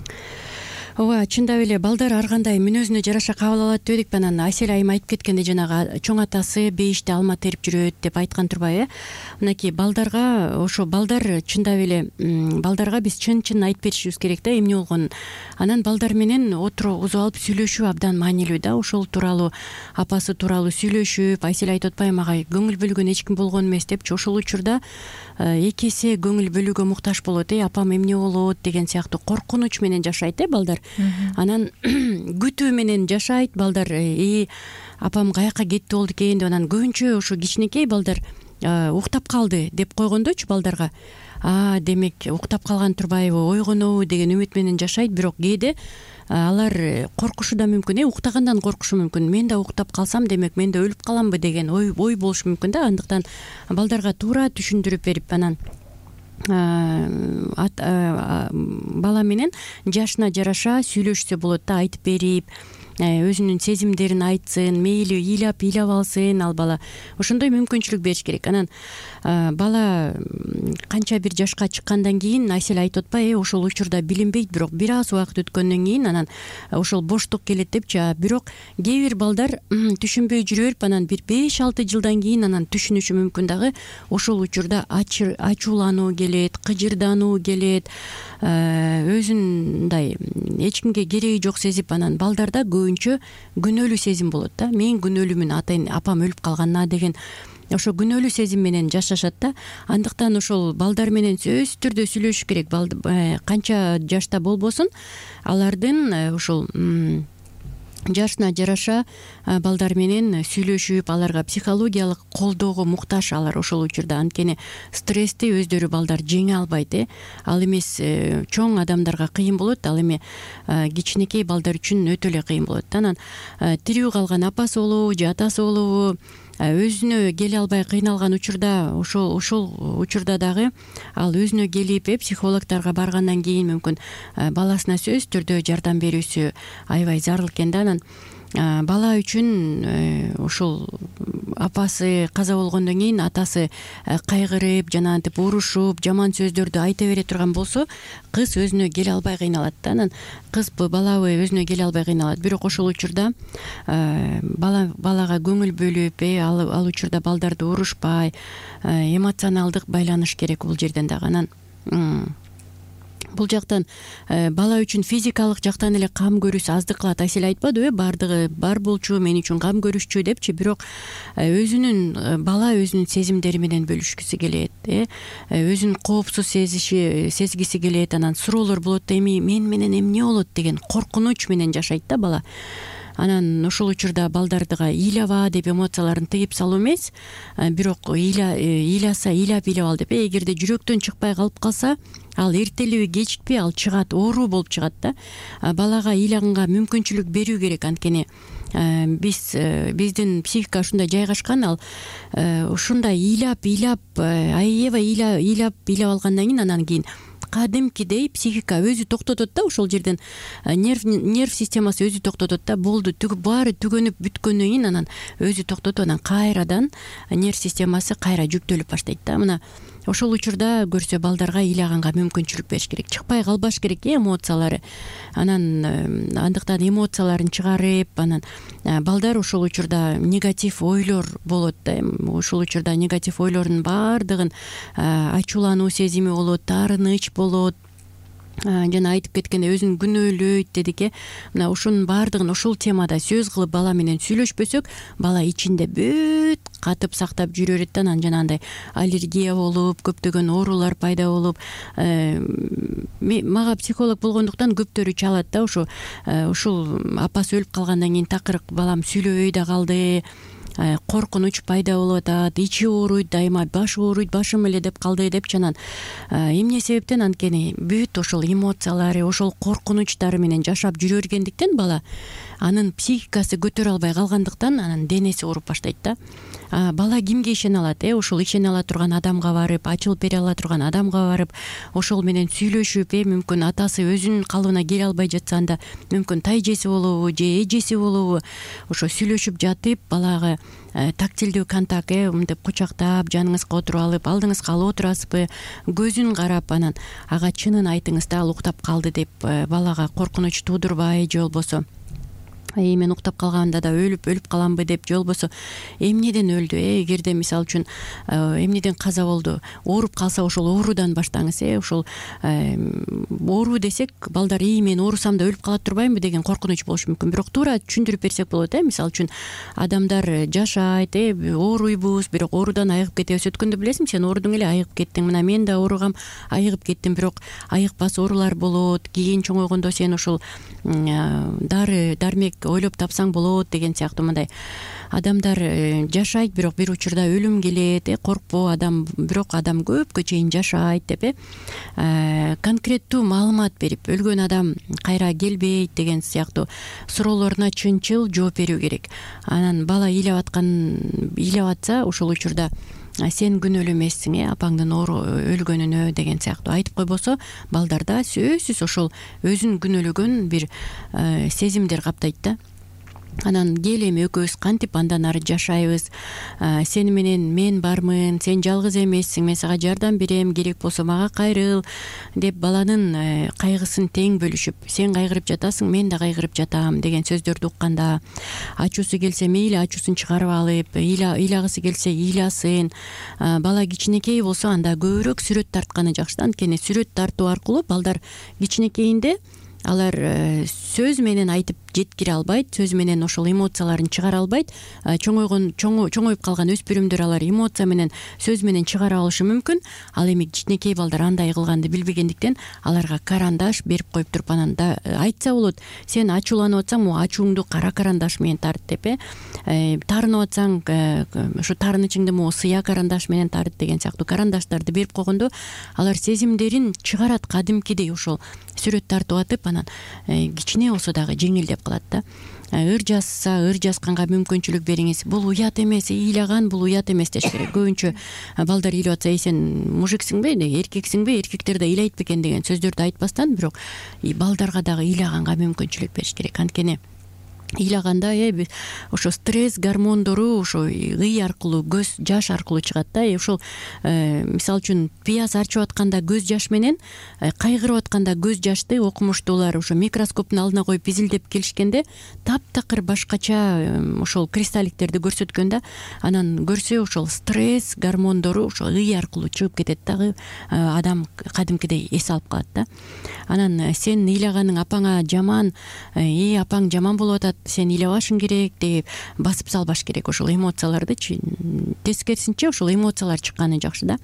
ооба, чындап эле балдар ар кандай мүнөзүнө жараша кабыл алат дебедикпи? Анан Асель айым айтып кеткендей, жанагы чоң атасы бейиште алма терип жүрөт деп айткан турбайбы? Мынакей балдарга, ошо балдар чындап эле балдарга биз чын айтып беришибиз керек да, эмне болгонун. Анан балдар менен отуруп алып сүйлөшүү абдан маанилүү да. Ошол тууралуу, апасы тууралуу сүйлөшүп, Асель айтып атпайбы, мага көңүл бөлгөн эч ким болгон эмес депчи. Ошол учурда эки эсе көңүл бөлүүгө муктаж болот. Апам эмне болот деген сыяктуу коркунуч менен жашайт балдар. Анан күтүү менен жашайт балдар. Апам каяка кетти болду экен деп, анан көбүнчө ошо кичинекей балдар уктап калды деп койгондочу балдарга. Демек уктап калган турбайбы, ойгонобу деген үмүт менен жашайт. Бирок кээде алар коркушу да мүмкүн, уктагандан коркушу мүмкүн. Мен да уктап калсам, демек мен да өлүп каламбы деген ой болушу мүмкүн да. Андыктан балдарга туура түшүндүрүп берип, анан бала менен жашына жараша сүйлөшсө болот да, айтып берип, өзүнүн сезимдерин айтсын, мейли ыйлап алсын ал бала. Ошондой мүмкүнчүлүк бериш керек. Анан бала канча бир жашка чыккандан кийин, Асель айтып атпайбы, ошол учурда билинбейт, бирок бир аз убакыт өткөндөн кийин анан ошол боштук келет депчи. Бирок кээ бир балдар түшүнбөй жүрө берип, анан бир 5-6 жылдан кийин анан түшүнүшү мүмкүн дагы. Ошол учурда ачуулануу келет, кыжырдануу келет, өзүн мындай эч кимге кереги жок сезип, анан балдарда көбүнчө күнөөлүү сезим болот да. Мен күнөөлүүмүн, апам өлүп калганына деген ошо күнөөлүү сезим менен жашашат да. Андыктан ошол балдар менен сөзсүз түрдө сүйлөшүш керек. Канча жашта болбосун, алардын ошол жашына жараша балдар менен сүйлөшүп, аларга психологиялык колдоого муктаж алар ошол учурда. Анткени стрессти өздөрү балдар жеңе албайт. Ал эмес чоң адамдарга кыйын болот, ал эми кичинекей балдар үчүн өтө эле кыйын болот. Анан тирүү калган апасы болобу же атасы болобу, өзүнө келе албай кыйналган учурда, ошол учурда дагы ал өзүнө келип психологторго баргандан кийин мүмкүн баласына сөзсүз түрдө жардам берүүсү аябай зарыл экен да. Анан бала үчүн ошол апасы каза болгондон кийин атасы кайгырып, жанагынтип урушуп, жаман сөздөрдү айта бере турган болсо, кыз өзүнө келе албай кыйналат да. Анан кызбы, балабы өзүнө келе албай кыйналат. Бирок ошол учурда балага көңүл бөлүп, ал учурда балдарды урушпай, эмоционалдык байланыш керек бул жерден дагы. Анан бул жактан бала үчүн физикалык жактан эле кам көрүүсү аздык кылат. Асель айтпадыбы, бардыгы бар болчу, мен үчүн кам көрүшчү депчи. Бирок бала өзүнүн сезимдери менен бөлүшкүсү келет, өзүн коопсуз сезгиси келет. Анан суроолор болот да, эми мен менен эмне болот деген коркунуч менен жашайт да бала. Анан ошол учурда балдардыга ыйлаба деп эмоцияларын тыйып салуу эмес, бирок ыйлап ал деп. Эгерде жүрөктөн чыкпай калып калса, ал эртелеби кечикпи ал чыгат, оору болуп чыгат да. Балага ыйлаганга мүмкүнчүлүк берүү керек. Анткени биздин психика ушундай жайгашкан, ал ушундай ыйлап алгандан кийин, анан кийин кадимкидей психика өзү токтотот да. Ошол жерден нерв системасы өзү токтотот да. Болду, баары түгөнүп бүткөндөн кийин анан өзү токтотуп, анан кайрадан нерв системасы кайра жүктөлүп баштайт да. Мына ошол учурда көрсө балдарга ыйлаганга мүмкүнчүлүк бериш керек. Чыкпай калбаш керек эмоциялары. Анан андыктан эмоцияларын чыгарып, анан балдар ошол учурда негатив ойлор болот да. Ошол учурда негатив ойлордун баардыгын ачуулануу сезими болот, таарыныч болот. Жана айтып кеткендей өзүн күнөөлөйт дедик. Мына ушунун баардыгын ошол темада сөз кылып бала менен сүйлөшпөсөк, бала ичинде бүт катып сактап жүрө берет да. Анан жанагындай аллергия болуп, көптөгөн оорулар пайда болуп, мага психолог болгондуктан көптөрү чалат да. Ушул апасы өлүп калгандан кийин такыр балам сүйлөбөй да калды, коркунуч пайда болуп атат, ичи ооруйт, дайыма башы ооруйт, башым эле деп калды депчи. Анан эмне себептен? Анткени бүт ошол эмоциялары, ошол коркунучтары менен жашап жүрө бергендиктен бала анын психикасы көтөрө албай калгандыктан анан денеси ооруп баштайт да. Бала кимге ишене алат? Ошол ишене ала турган адамга барып, ачылып бере ала турган адамга барып, ошол менен сүйлөшүп, мүмкүн атасы өзүнүн калыбына келе албай жатса, анда мүмкүн тайжеси болобу же эжеси болобу, ошо сүйлөшүп жатып балага тактилдүү контакт, мынтип кучактап жаныңызга отуруп алып, алдыңызга алып отурасызбы, көзүн карап анан ага чынын айтыңыз да, ал уктап калды деп балага коркунуч туудурбай, же болбосо мен уктап калганда да өлүп каламбы деп, же болбосо эмнеден өлдү, эгерде мисалы үчүн эмнеден каза болду, ооруп калса ошол оорудан баштаңыз. Ошол оору десек, балдар мен оорусам да өлүп кала турбаймбы деген коркунуч болушу мүмкүн. Бирок туура түшүндүрүп берсек болот. Мисалы үчүн адамдар жашайт, ооруйбуз, бирок оорудан айыгып кетебиз. Өткөндө билесиңби, сен оорудуң эле, айыгып кеттиң. Мына мен да ооругам, айыгып кеттим, бирок айыкпас оорулар болот. Кийин чоңойгондо сен ошол дармек ойлоп тапсаң болот деген сыяктуу. Мындай адамдар жашайт, бирок бир учурда өлүм келет, коркпо адам, бирок адам көпкө чейин жашайт деп конкреттүү маалымат берип, өлгөн адам кайра келбейт деген сыяктуу суроолоруна чынчыл жооп берүү керек. Анан бала ыйлап атса, ошол учурда сен күнөөлүү эмессиң, апаңдын өлгөнүнө деген сыяктуу айтып койбосо, балдарда сөзсүз ошол өзүн күнөөлөгөн бир сезимдер каптайт да. Анан кел эми экөөбүз кантип андан ары жашайбыз, сени менен мен бармын, сен жалгыз эмессиң, мен сага жардам берем, керек болсо мага кайрыл деп баланын кайгысын тең бөлүшүп, сен кайгырып жатасың, мен да кайгырып жатам деген сөздөрдү укканда, ачуусу келсе мейли ачуусун чыгарып алып, ыйлагысы келсе ыйласын. Бала кичинекей болсо анда көбүрөөк сүрөт тартканы жакшы да. Анткени сүрөт тартуу аркылуу балдар кичинекейинде алар сөз менен айтып жеткире албайт, сөз менен ошол эмоцияларын чыгара албайт. Чоңоюп калган өспүрүмдөр алар эмоция менен, сөз менен чыгара алышы мүмкүн. Ал эми кичинекей балдар андай кылганды билбегендиктен аларга карандаш берип коюп туруп, анан да айтса болот, сен ачууланып атсаң, могу ачууңду кара карандаш менен тарт деп, таарынып атсаң, ошо таарынычыңды могу сыя карандаш менен тарт деген сыяктуу карандаштарды берип койгондо, алар сезимдерин чыгарат кадимкидей, ошол сүрөт тартып атып, анан кичине болсо дагы жеңилдеп калат да. Ыр жазганга мүмкүнчүлүк бериңиз. Бул уят эмес, ыйлаган бул уят эмес деш керек. Көбүнчө балдар ыйлап атса, сен мужиксиңби, эркексиңби, эркектер да ыйлайт бекен деген сөздөрдү айтпастан, бирок балдарга дагы ыйлаганга мүмкүнчүлүк бериш керек. Анткени ыйлаганда ошо стресс гормондору ошо ый аркылуу, көз жаш аркылуу чыгат да. Ошол мисалы үчүн пияз арчып атканда көз жаш менен кайгырып атканда көз жашты окумуштуулар ошо микроскоптун алдына коюп изилдеп келишкенде таптакыр башкача ошол кристалликтерди көрсөткөн да. Анан көрсө ошол стресс гормондору ошо ый аркылуу чыгып кетет дагы, адам кадимкидей эс алып калат да. Анан сен ыйлаганың апаңа жаман, апаң жаман болуп атат, сен ыйлабашың керек деп басып салбаш керек. Ошол эмоцияларды тескерисинче ошол эмоциялар чыкканы жакшы да.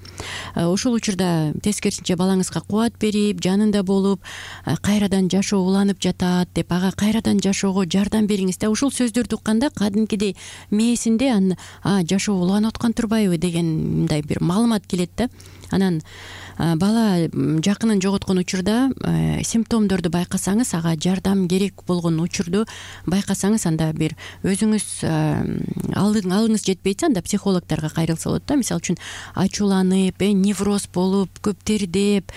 Ошол учурда тескерисинче балаңызга кубат берип, жанында болуп, кайрадан жашоо уланып жатат деп ага кайрадан жашоого жардам бериңиз да. Ошол сөздөрдү укканда кадимкидей мээсинде жашоо уланып аткан турбайбы деген мындай бир маалымат келет да. Анан бала жакынын жоготкон учурда симптомдорду байкасаңыз, ага жардам керек болгон учурду байкасаңыз, анда бир өзүңүз алыңыз жетпейт, анда психологторго кайрылса болот да. Мисалы үчүн ачууланып, невроз болуп, көп тердеп,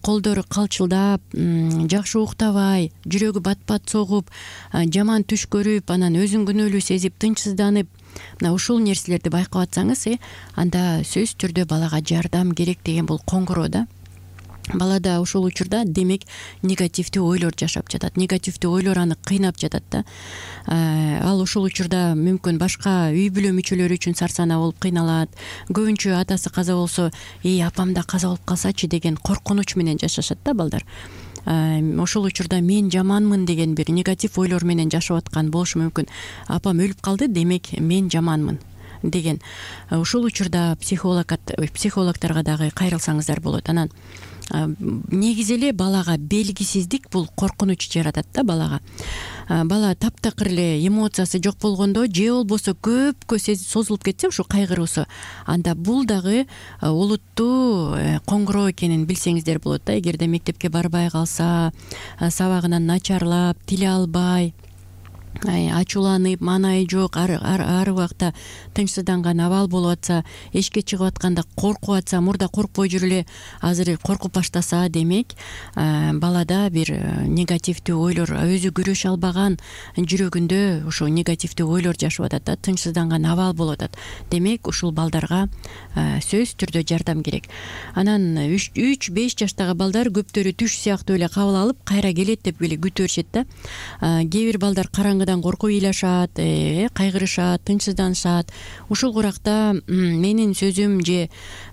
колдору калчылдап, жакшы уктабай, жүрөгү бат-бат согуп, жаман түш көрүп, анан өзүн күнөөлүү сезип, тынчсызданып, мына ушул нерселерди байкап атсаңыз, анда сөзсүз түрдө балага жардам керек деген бул коңгуроо да. Балада ошол учурда демек негативдүү ойлор жашап жатат. Негативдүү ойлор аны кыйнап жатат да. Ал ошол учурда мүмкүн башка үй бүлө мүчөлөрү үчүн сарсанаа болуп кыйналат. Көбүнчө атасы каза болсо, апам да каза болуп калсачы деген коркунуч менен жашашат да балдар. Ошол учурда мен жаманмын деген бир негатив ойлор менен жашап аткан болушу мүмкүн. Апам өлүп калды, демек мен жаманмын деген. Ошол учурда психологторго дагы кайрылсаңыздар болот. Анан негизи эле балага белгисиздик бул коркунуч жаратат да балага. Бала таптакыр эле эмоциясы жок болгондо, же болбосо көпкө созулуп кетсе ушу кайгыруусу, анда бул дагы олуттуу коңгуроо экенин билсеңиздер болот да. Эгерде мектепке барбай калса, сабагынан начарлап, тиле албай, ачууланып, маанайы жок, ар убакта тынчсызданган абал болуп атса, эшикке чыгып атканда коркуп атса, мурда коркпой жүрүп эле азыр коркуп баштаса, демек балада бир негативдүү ойлор, өзү күрөшө албаган жүрөгүндө ошо негативдүү ойлор жашап атат да, тынчсызданган абал болуп атат. Демек ушул балдарга сөзсүз түрдө жардам керек. Анан 3-5 жаштагы балдар көптөрү түш сыяктуу эле кабыл алып, кайра келет деп эле күтүп беришет да. Кээ бир балдар караңгыдан коркуп ыйлашат, кайгырышат, тынчсызданышат. Ушул уракта менин сөзүм же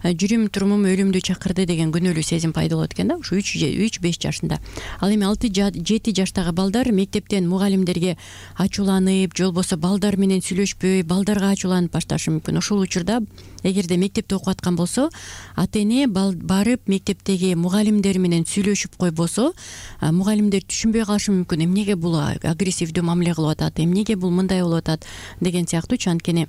жүрүм турумум өлүмдү чакырды деген күнөөлүү сезим пайда болот экен да, ушу 3-5 жашында. Ал эми 6-7 жаштагы балдар мектептен мугалимдерге ачууланып, же болбосо балдар менен сүйлөшпөй, балдарга ачууланып башташы мүмкүн. Ошол учурда эгерде мектепте окуп аткан болсо, ата-эне барып мектептеги мугалимдер менен сүйлөшүп койбосо, мугалимдер түшүнбөй калышы мүмкүн. Эмнеге бул агрессивдүү мамиле кылып атат, эмнеге бул мындай болуп атат деген сыяктуучу. Анткени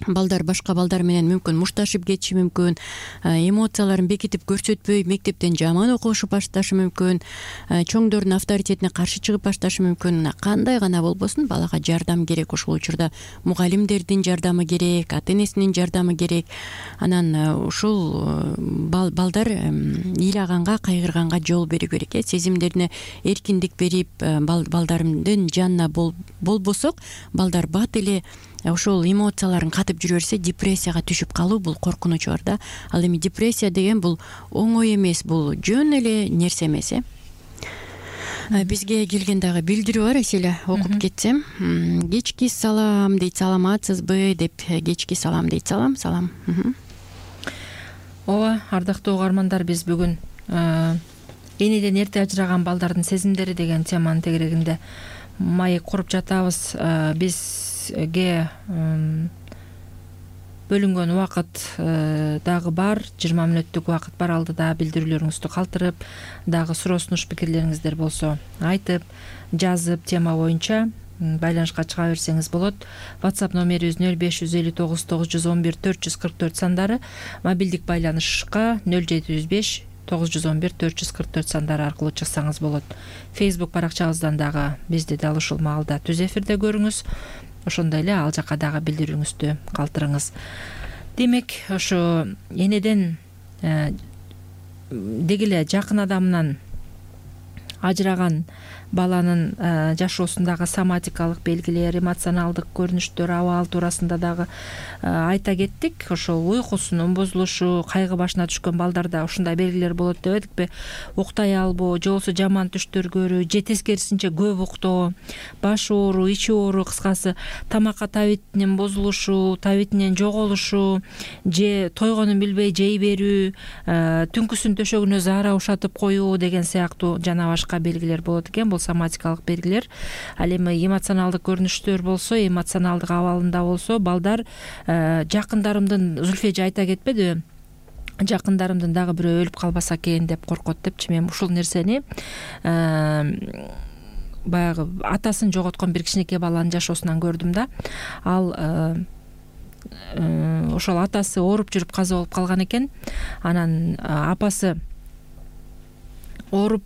балдар башка балдар менен мүмкүн мушташып кетиши мүмкүн, эмоцияларын бекитип көрсөтпөй мектептен жаман окушуп башташы мүмкүн, чоңдордун авторитетине каршы чыгып башташы мүмкүн. Кандай гана болбосун, балага жардам керек. Ошол учурда мугалимдердин жардамы керек, ата-энесинин жардамы керек. Анан ушул балдар ыйлаганга, кайгырганга жол берүү керек. Сезимдерине эркиндик берип, балдарымдын жанына болбосок, балдар бат эле ошол эмоцияларын катып жүрө берсе, депрессияга түшүп калуу бул коркунуч бар да. Ал эми депрессия деген бул оңой эмес, бул жөн эле нерсе эмес. Бизге келген дагы билдирүү бар, эселе окуп кетсем. Кечки салам дейт, саламатсызбы деп, кечки салам дейт. Салам. Ооба, ардактуу угармандар, биз бүгүн энеден эрте ажыраган балдардын сезимдери деген теманын тегерегинде маек куруп жатабыз. Бизге бөлүнгөн убакыт дагы бар, 20 мүнөттүк убакыт бар. Алдыда билдирүүлөрүңүздү калтырып, дагы суроо сунуш пикирлериңиздер болсо айтып, жазып, тема боюнча байланышка чыга берсеңиз болот. WhatsApp номерибиз 0559 911 444 сандары, мобилдик байланышка 0705 911 444 сандары аркылуу чыксаңыз болот. Facebook баракчабыздан дагы бизди дал ушул маалда түз эфирде көрүңүз. Ошондой эле ал жака дагы билдирүүңүздү калтырыңыз. Демек, ошо энеден деги эле жакын адамынан ажыраган баланын жашоосундагы соматикалык белгилер, эмоционалдык көрүнүштөр, абал туурасында дагы айта кеттик. Ошол уйкусунун бузулушу, кайгы башына түшкөн балдарда ушундай белгилер болот дебедикпи? Уктай албоо, же болбосо жаман түштөр көрүү, же тескерисинче көп уктоо, баш ооруу, ичи ооруу, кыскасы тамакка табитинин бузулушу, табитинен жоголушу, же тойгонун билбей жей берүү, түнкүсүн төшөгүнө заара ушатып коюу деген сыяктуу жана башка белгилер болот экен. Бул соматикалык белгилер. Ал эми эмоционалдык көрүнүштөр болсо, эмоционалдык абалында болсо, балдар жакындарымдын, Зульфия айта кетпедиби? Жакындарымдын дагы бирөө өлүп калбаса экен деп коркот депчи. Мен ушул нерсени баягы атасын жоготкон бир кичинекей баланын жашоосунан көрдүм да. Ал ошол атасы ооруп жүрүп каза болуп калган экен. Анан апасы ооруп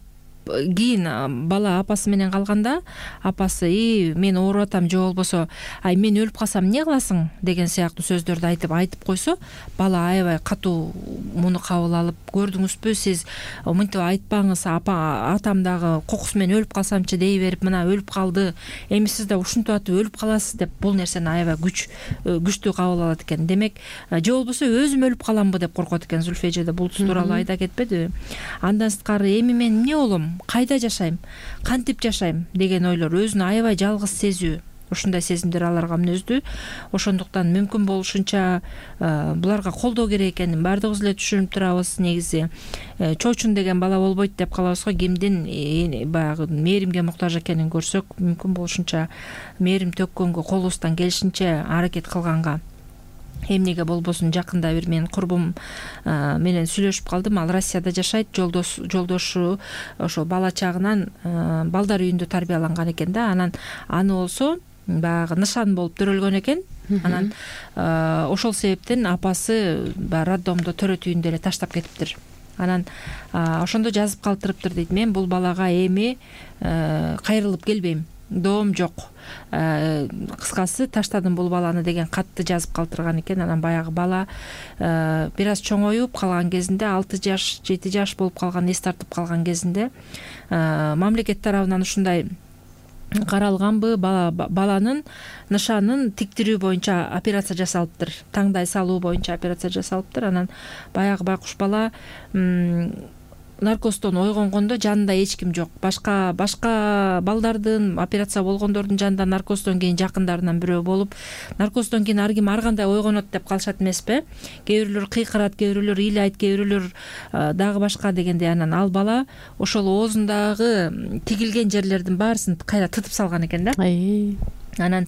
кийин бала апасы менен калганда, апасы мен ооруп атам, же болбосо мен өлүп калсам эмне кыласың деген сыяктуу сөздөрдү айтып койсо, бала аябай катуу муну кабыл алып, көрдүңүзбү сиз мынтип айтпаңыз, атам дагы кокусу менен өлүп калсамчы дей берип, мына өлүп калды, эми сиз да ушинтип атып өлүп каласыз деп, бул нерсени аябай күчтүү кабыл алат экен. Демек, же болбосо өзүм өлүп каламбы деп коркот экен. Зульфия да бул тууралуу айта кетпедиби? Андан сырткары эми мен эмне болом, кайда жашайм, кантип жашайм деген ойлор, өзүнү аябай жалгыз сезүү, ушундай сезимдер аларга мүнөздүү. Ошондуктан мүмкүн болушунча буларга колдоо керек экенин баардыгыбыз эле түшүнүп турабыз. Негизи чоочун деген бала болбойт деп калабыз го. Кимдин баягы мээримге муктаж экенин көрсөк, мүмкүн болушунча мээрим төккөнгө, колубуздан келишинче аракет кылганга. Эмнеге болбосун, жакында бир менин курбум менен сүйлөшүп калдым. Ал Россияда жашайт, жолдошу ошо бала чагынан балдар үйүндө тарбияланган экен да. Анан аны болсо баягы нышан болуп төрөлгөн экен. Анан ошол себептен апасы роддомдо төрөт үйүндө эле таштап кетиптир. Анан ошондо жазып калтырыптыр дейт. Мен бул балага эми кайрылып келбейм. доом жок, кыскасы таштадым бул баланы деген катты жазып калтырган экен. Анан баягы бала бир аз чоңоюп калган кезинде 6 жаш 7 жаш болуп калган, эс тартып калган кезинде мамлекет тарабынан ушундай каралганбы, баланын нышанын тиктирүү боюнча операция жасалыптыр, таңдай салуу боюнча операция жасалыптыр. Анан баягы байкуш бала наркоздон ойгонгондо жанында эч ким жок. Башка балдардын, операция болгондордун жанында наркоздон кийин жакындарынан бирөө болуп, наркоздон кийин ар ким ар кандай ойгонот деп калышат эмеспи? Кээ бирөөлөр кыйкырат, кээ бирөөлөр ыйлайт, кээ бирөөлөр дагы башка дегендей. Анан ал бала ошол оозундагы тигилген жерлердин баарысын кайра тытып салган экен да. Анан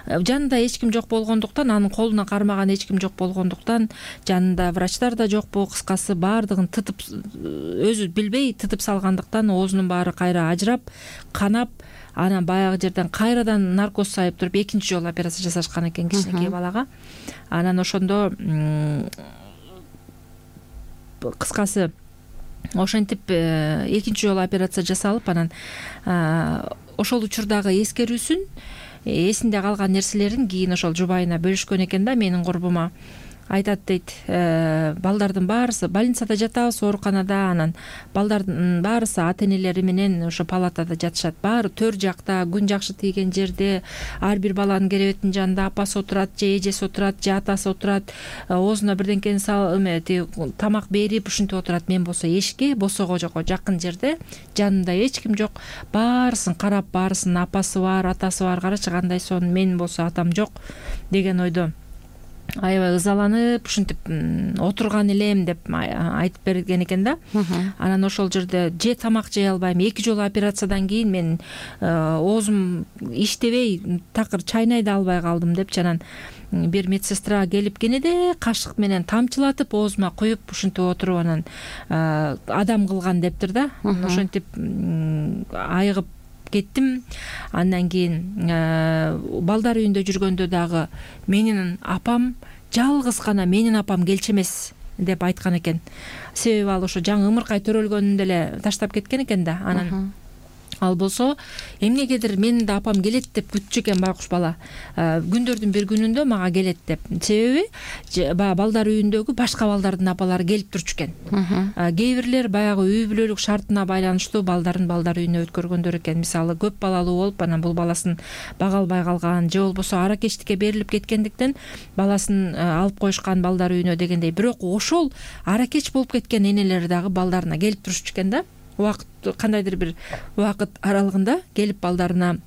жанында эч ким жок болгондуктан, анын колуна кармаган эч ким жок болгондуктан, жанында врачтар да жокпу, кыскасы баардыгын тытып, өзү билбей тытып салгандыктан оозунун баары кайра ажырап, канап, анан баягы жерден кайрадан наркоз сайып туруп экинчи жолу операция жасашкан экен кичинекей балага. Анан ошондо кыскасы ошентип экинчи жолу операция жасалып, анан ошол учурдагы эскерүүсүн, эсинде калган нерселерин кийин ошол жубайына бөлүшкөн экен да, менин курбума. Айтат дейт, балдардын баарысы больницада жатабыз, ооруканада, анан балдардын баарысы ата энелери менен ошо палатада жатышат. Баары төр жакта, күн жакшы тийген жерде, ар бир баланын керебетинин жанында апасы отурат, же эжеси отурат, же атасы отурат, оозуна бирденкени тамак берип ушинтип отурат. Мен болсо эшикке босого жакын жерде, жанымда эч ким жок. Баарысын карап, баарысынын апасы бар, атасы бар, карачы кандай сонун, мен болсо атам жок деген ойдо аябай ызаланып ушинтип отурган элем деп айтып берген экен да. Анан ошол жерде же тамак жей албайм, 2 жолу операциядан кийин мен оозум иштебей такыр чайнай да албай калдым депчи. Анан бир медсестра келип кенеде кашык менен тамчылатып оозума куюп ушинтип отуруп, анан адам кылган дептир да. Ошентип айыгып кеттим. Андан кийин балдар үйүндө жүргөндө дагы менин апам, жалгыз гана менин апам келчү эмес деп айткан экен. Себеби ал ошо жаңы ымыркай төрөлгөнүндө эле таштап кеткен экен да. Анан ал болсо эмнегедир менин да апам келет деп күтчү экен байкуш бала. Күндөрдүн бир күнүндө мага келет деп. Себеби балдар үйүндөгү башка балдардын апалары келип турчу экен. Кээ бирлер баягы үй бүлөлүк шартына байланыштуу балдар үйүнө өткөргөндөр экен. Мисалы көп балалуу болуп, анан бул баласын бага албай калган, же болбосо аракечтикке берилип кеткендиктен баласын алып коюшкан балдар үйүнө дегендей. Бирок ошол аракеч болуп кеткен энелер дагы балдарына келип турчу экен да. Кандайдыр бир убакыт аралыгында келип балдарына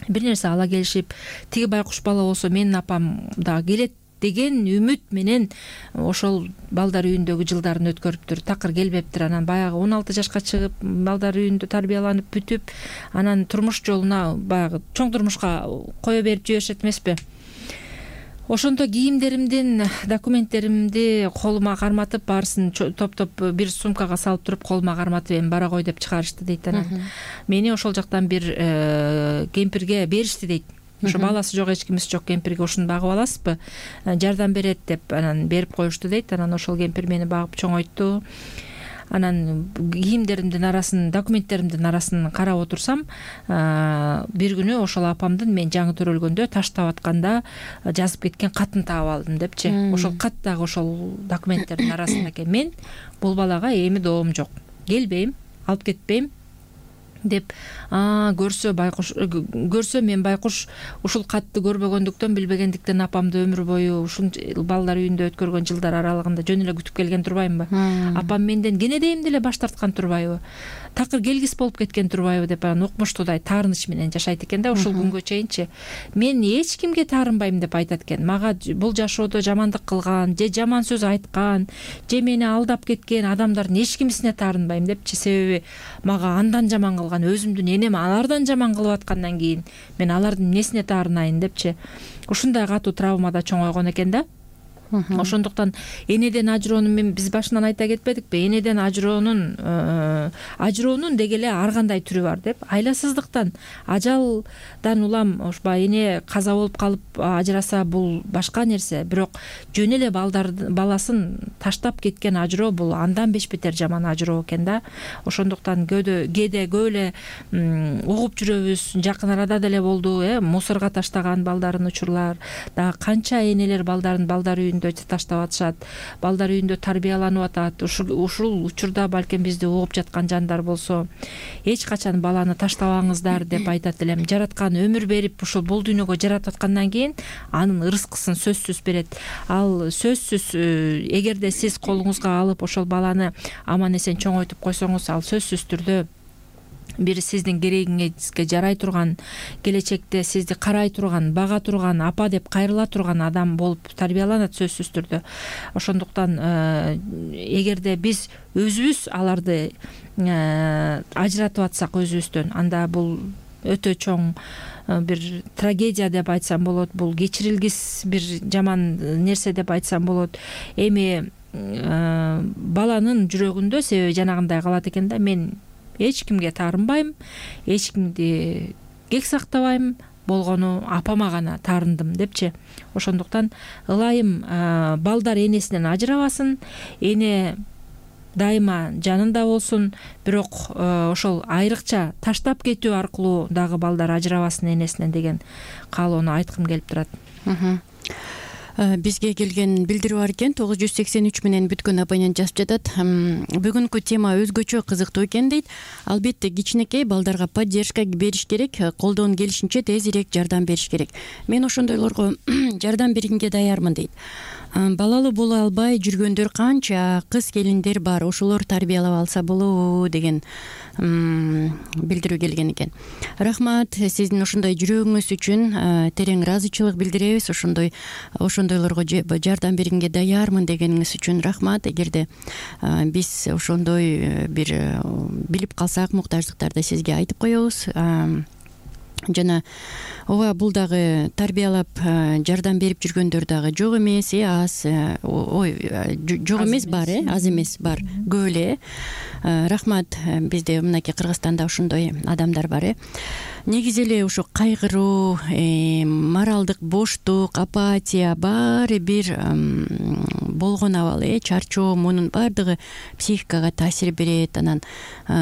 бир нерсе ала келишип, тиги байкуш бала болсо менин апам дагы келет деген үмүт менен ошол балдар үйүндөгү жылдарын өткөрүптүр. Такыр келбептир. Анан баягы 16 жашка чыгып, балдар үйүндө тарбияланып бүтүп, анан турмуш жолуна баягы чоң турмушка кое берип жиберишет эмеспи? Ошондо кийимдеримдин, документтеримди колума карматып, баарысын топтоп бир сумкага салып туруп, колума карматып, эми бара кой деп чыгарышты дейт. Анан мени ошол жактан бир кемпирге беришти дейт. Ошо баласы жок, эч кимиси жок кемпирге ушуну багып аласызбы, жардам берет деп анан берип коюшту дейт. Анан ошол кемпир мени багып чоңойту. Анан кийимдеримдин арасын, документтеримдин арасын карап отурсам, бир күнү ошол апамдын мен жаңы төрөлгөндө таштап атканда жазып кеткен катын таап алдым депчи. Ошол кат дагы ошол документтердин арасында экен. Мен бул балага эми доом жок, келбейм, алып кетпейм деп көрсө мен байкуш ушул катты көрбөгөндүктөн, билбегендиктен апамды өмүр бою ушул балдар үйүндө өткөргөн жылдар аралыгында жөн эле күтүп келген турбаймынбы? Апам менден кенедейим деле баш тарткан турбайбы? Такыр келгис болуп кеткен турбайбы деп анан укмуштуудай таарыныч менен жашайт экен да ушул күнгө чейинчи. Мен эч кимге таарынбайм деп айтат экен. Мага бул жашоодо жамандык кылган, же жаман сөз айткан, же мени алдап кеткен адамдардын эч кимисине таарынбайм депчи. Себеби мага андан жаман кылган өзүмдүн энем алардан жаман кылып аткандан кийин мен алардын эмнесине таарынайын депчи. Ушундай катуу травмада чоңойгон экен да. Ошондуктан энеден ажыроонун биз башынан айта кетпедикпи? Энеден ажыроонун деги эле ар кандай түрү бар деп. Айласыздыктан, ажалдан улам ушундай эне каза болуп калып ажыраса бул башка нерсе. Бирок жөн эле баласын таштап кеткен ажыроо бул андан бешбетер жаман ажыроо экен да. Ошондуктан кээде көп эле угуп жүрөбүз. Жакын арада деле болду, мусорго таштаган балдарын учурлар. Дагы канча энелер балдарын балдар үйүндө таштап атышат, балдар үйүндө тарбияланып атат. Ушул учурда балким бизди угуп жаткан жандар болсо, эч качан баланы таштабаңыздар деп айтат элем. Жараткан өмүр берип ушул бул дүйнөгө жаратып аткандан кийин анын ырыскысын сөзсүз берет. Ал сөзсүз эгерде сиз колуңузга алып ошол баланы аман эсен чоңойтуп койсоңуз, ал сөзсүз түрдө бир сиздин керегиңизге жарай турган, келечекте сизди карай турган, бага турган, апа деп кайрыла турган адам болуп тарбияланат сөзсүз түрдө. Ошондуктан эгерде биз өзүбүз аларды ажыратып атсак өзүбүздөн, анда бул өтө чоң бир трагедия деп айтсам болот, бул кечирилгис бир жаман нерсе деп айтсам болот. Эми баланын жүрөгүндө себеби жанагындай калат экен да, мен эч кимге таарынбайм, эч кимди кек сактабайм, болгону апама гана таарындым депчи. Ошондуктан ылайым балдар энесинен ажырабасын, эне дайыма жанында болсун, бирок ошол айрыкча таштап кетүү аркылуу дагы балдар ажырабасын энесинен деген каалоону айткым келип турат. Бизге келген билдирүү бар экен. 983 менен бүткөн абонент жазып жатат. Бүгүнкү тема өзгөчө кызыктуу экен дейт. Албетте кичинекей балдарга поддержка бериш керек, колдон келишинче тезирээк жардам бериш керек. Мен ошондойлорго жардам бергенге даярмын дейт. Балалуу боло албай жүргөндөр канча кыз келиндер бар, ошолор тарбиялап алса болобу деген билдирүү келген экен. Рахмат сиздин ошондой жүрөгүңүз үчүн, терең ыраазычылык билдиребиз. Ошондойлорго жардам бергенге даярмын дегениңиз үчүн рахмат. Эгерде биз ошондой бир билип калсак муктаждыктарды сизге айтып коебуз. Жана ооба бул дагы тарбиялап жардам берип жүргөндөр дагы жок эмес, аз, жок эмес, бар, аз эмес, бар, көп эле. Рахмат, бизде мынакей Кыргызстанда ошондой адамдар бар. Негизи эле ошо кайгыруу, моралдык боштук, апатия баары бир болгон абал, чарчоо, мунун баардыгы психикага таасир берет. Анан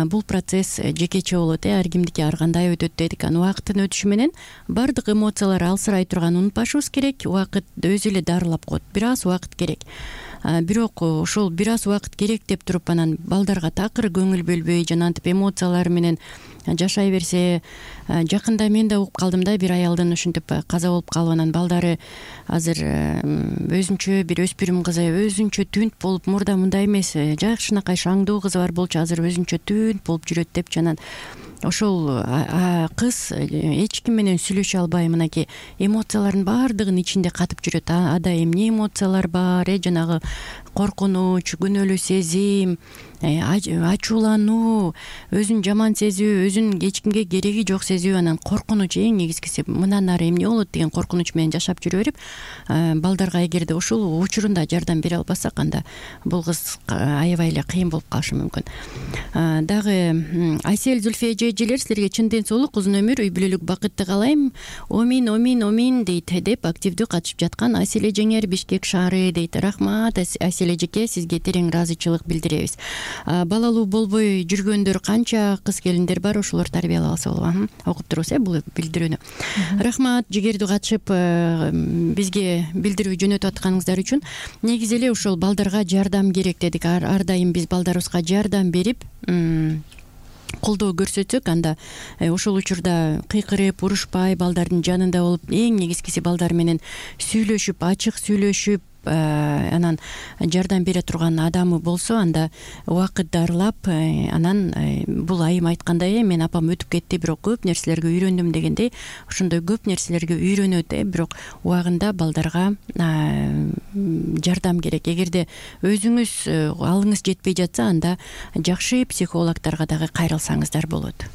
бул процесс жекече болот, ар кимдики ар кандай өтөт дедик. Анан убакыттын өтүшү менен баардык эмоциялар алсырай турганын унутпашыбыз керек. Убакыт өзү эле дарылап коет, бир аз убакыт керек. Бирок ошол бир аз убакыт керек деп туруп анан балдарга такыр көңүл бөлбөй, жанагынтип эмоциялар менен жашай берсе, жакында мен да угуп калдым да, бир аялдын ушинтип каза болуп калып, анан балдары азыр өзүнчө бир өспүрүм кызы, өзүнчө түнт болуп, мурда мындай эмес, жакшынакай шаңдуу кызы бар болчу, азыр өзүнчө түнт болуп жүрөт депчи. Анан ошол кыз эч ким менен сүйлөшө албай, мынакей эмоциялардын баардыгын ичинде катып жүрөт. Ада эмне эмоциялар бар, жанагы коркунуч, күнөөлүү сезим, ачуулануу, өзүн жаман сезүү, өзүн эч кимге кереги жок сезүү, анан коркунуч, эң негизгиси мындан ары эмне болот деген коркунуч менен жашап жүрө берип, балдарга эгерде ушул учурунда жардам бере албасак, анда бул кыз аябай эле кыйын болуп калышы мүмкүн. Дагы Айсел, Зульфия эжелер, силерге чын ден соолук, узун өмүр, үй бүлөлүк бакытты каалайм. Омин, омин, омин дейт деп активдүү катышып жаткан Айсел эжеңер, Бишкек шаары дейт. Рахмат Айсел эжеке, сизге терең ыраазычылык билдиребиз. Балалуу болбой жүргөндөр канча кыз келиндер бар, ошолор тарбиялап алса болобу? Окуп турбуз бул билдирүүнү. Рахмат жигердүү катышып бизге билдирүү жөнөтүп атканыңыздар үчүн. Негизи эле ошол балдарга жардам керек дедик. Ар дайым биз балдарыбызга жардам берип колдоо көрсөтсөк, анда ошол учурда кыйкырып, урушпай, балдардын жанында болуп, эң негизгиси балдар менен сүйлөшүп, ачык сүйлөшүп, анан жардам бере турган адамы болсо, анда убакыт дарылап, анан бул айым айткандай, мен апам өтүп кетти, бирок көп нерселерге үйрөндүм дегендей, ошондой көп нерселерге үйрөнөт, бирок убагында балдарга жардам керек. Эгерде өзүңүз алыңыз жетпей жатса, анда жакшы психологдорго дагы кайрылсаңыздар болот.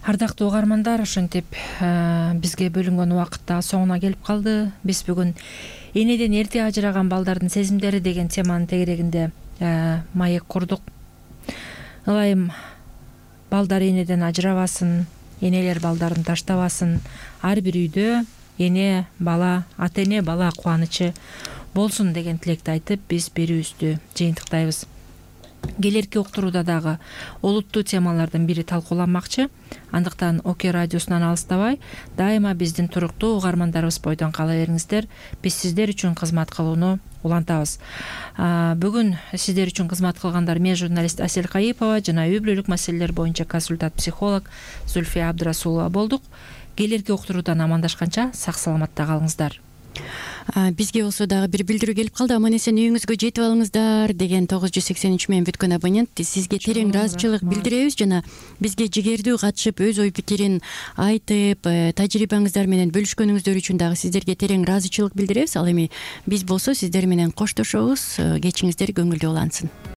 Ардактуу угармандар, ошентип бизге бөлүнгөн убакыт да соңуна келип калды. Биз бүгүн энеден эрте ажыраган балдардын сезимдери деген теманын тегерегинде маек курдук. Ылайым балдар энеден ажырабасын, энелер балдарын таштабасын, ар бир үйдө эне бала, ата эне бала кубанычы болсун деген тилекти айтып, биз берүүбүздү жыйынтыктайбыз. Келерки уктурууда дагы олуттуу темалардын бири талкууланмакчы. Андыктан ОК радиосунан алыстабай, дайыма биздин туруктуу угармандарыбыз бойдон кала бериңиздер. Биз сиздер үчүн кызмат кылууну улантабыз. Бүгүн сиздер үчүн кызмат кылгандар мен журналист Асель Кайыпова жана үй бүлөлүк маселелер боюнча консультант психолог Зульфия Абдрасулова болдук. Келерки уктуруудан амандашканча сак саламатта калыңыздар. Бизге болсо дагы бир билдирүү келип калды. Аман эсен үйүңүзгө жетип алыңыздар деген 983 менен бүткөн абонент. Сизге терең ыраазычылык билдиребиз жана бизге жигердүү катышып өз ой пикирин айтып, тажрыйбаңыздар менен бөлүшкөнүңүздөр үчүн дагы сиздерге терең ыраазычылык билдиребиз. Ал эми биз болсо сиздер менен коштошобуз. Кечиңиздер көңүлдүү улансын.